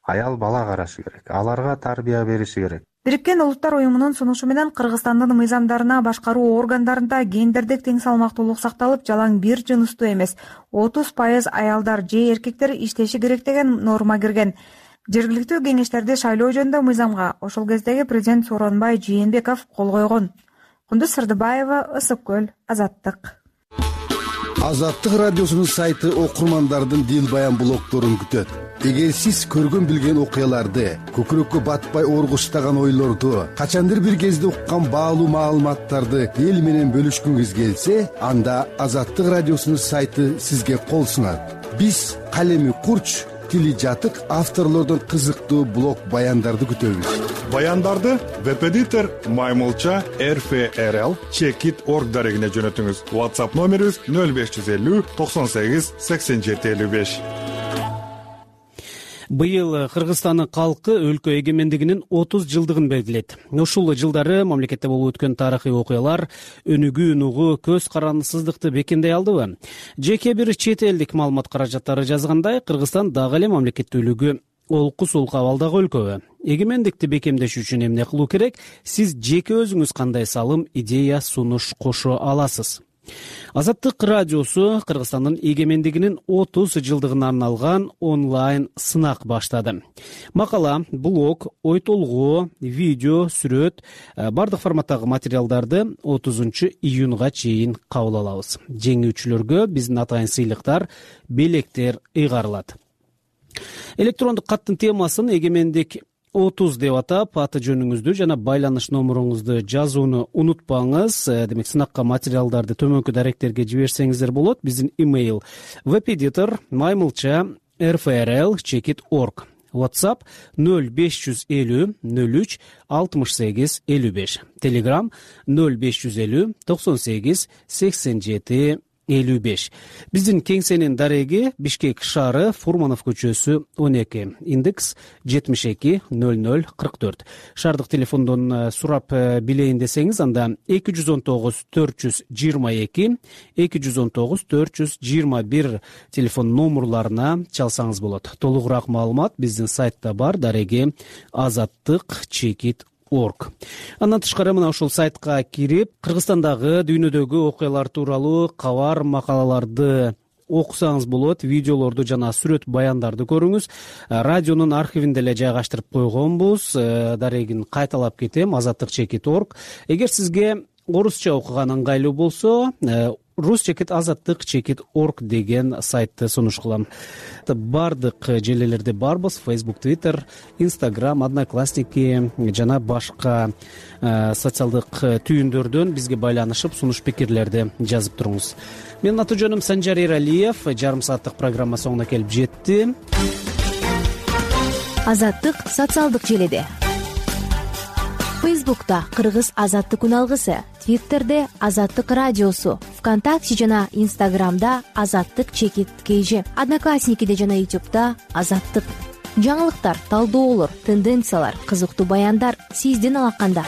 Аял бала карашы керек. Аларга тарбия бериши керек. Бириккен Улуттар уюмунун сунушу менен Кыргызстандын мыйзамдарына башкаруу органдарында гендердик тең салмактуулук сакталып, жалаң бир жыныстуу эмес отуз пайыз аялдар же эркектер иштеши керек деген норма кирген. Жергиликтүү кеңештерди шайлоо жөнүндө мыйзамга ошол кездеги президент Сооронбай Жээнбеков кол койгон. Кундуз Сырдыбаева, Ысык көл, Азаттык. Азаттык радиосунун сайты окурмандардын дил баян блогдорун күтөт. Эгер сиз көргөн билген окуяларды, көкүрөккө батпай оргуштаган ойлорду, качандыр бир кезде уккан баалуу маалыматтарды эл менен бөлүшкүңүз келсе, анда Азаттык радиосунун сайты сизге кол сунат. Биз калеми курч, тили жатык авторлордон кызыктуу блог баяндарды күтөбүз. Баяндарды веб-эдитор Маймылча эр эф эр эл чекит точка орг дарегине жөнөтүңүз. WhatsApp номерибиз нөл беш жүз элүү токсон сегиз сексен жети элүү беш. Быйыл Кыргызстандын калкы өлкө эгемендигинин отуз жылдыгын белгилейт. Ушул жылдары мамлекетте болуп өткөн тарыхый окуялар өнүгүү нугу көз карандысыздыкты бекемдей алдыбы? Жеке бир чет элдик маалымат каражаттары жазгандай, Кыргызстан дагы эле мамлекеттүүлүгү олку сулку абалдагы өлкөбү. Эгемендикти бекемдеш үчүн эмне кылуу керек? Сиз жеке өзүңүз кандай салым, идея, сунуш кошо аласыз? Азаттык радиосу Кыргызстандын эгемендигинин отуз жылдыгына арналган онлайн сынак баштады. Макала, блог, ой толгоо, видео, сүрөт, бардык форматтагы материалдарды отузунчу июнга чейин кабыл алабыз. Жеңүүчүлөргө биздин атайын сыйлыктар, белектер ыйгарылат. Электрондук каттын темасын эгемендик отуз деп атап, аты жөнүңүздү жана байланыш номуруңузду жазууну унутпаңыз. Демек, сынакка материалдарды төмөнкү даректерге жиберсеңиздер болот. Биздин имейл веб-эдитор маймылча эр эф эр эл чекит точка орг. WhatsApp нөл беш жүз элүү нөл үч алтымыш сегиз элүү беш. Telegram нөл беш жүз элүү токсон сегиз сексен жети элүү беш. Биздин кеңсенин дареги Бишкек шаары, Фурманов көчөсү он эки, индекс жетимиш эки нөл нөл кырк төрт. Шаардык телефондон сурап билейин десеңиз, анда эки жүз он тогуз төрт жүз жыйырма эки эки жүз он тогуз төрт жүз жыйырма бир телефон номурларына чалсаңыз болот. Толугураак маалымат биздин сайтта бар, дареги азаттык чекит орг. Андан тышкары мына ушул сайтка кирип, Кыргызстандагы, дүйнөдөгү окуялар тууралуу кабар, макалаларды окусаңыз болот, видеолорду жана сүрөт баяндарды көрүңүз. Радионун архивинде эле жайгаштырып койгонбуз. Дарегин кайталап кетем, азаттык чекит точка орг. Эгер сизге орусча окуган ыңгайлуу болсо, рус чекит азаттык чекит точка орг деген сайтты сунуш кылам. Бардык желелерде барбыз: Facebook, Twitter, Instagram, Одноклассники жана башка социалдык түйүндөрдөн бизге байланышып, сунуш пикирлерди жазып туруңуз. Менин аты жөнүм Санжар Эралиев. Жарым сааттык программа соңуна келип жетти. Азаттык социалдык желеде. Фейсбукта Кыргыз азаттык үналгысы, Твиттерде Азаттык радиосу, ВКонтакте жана Инстаграмда Азаттык чекит кж, Одноклассникиде жана Ютубта Азаттык. Жаңылыктар, талдоолор, тенденциялар, кызыктуу баяндар сиздин алаканда.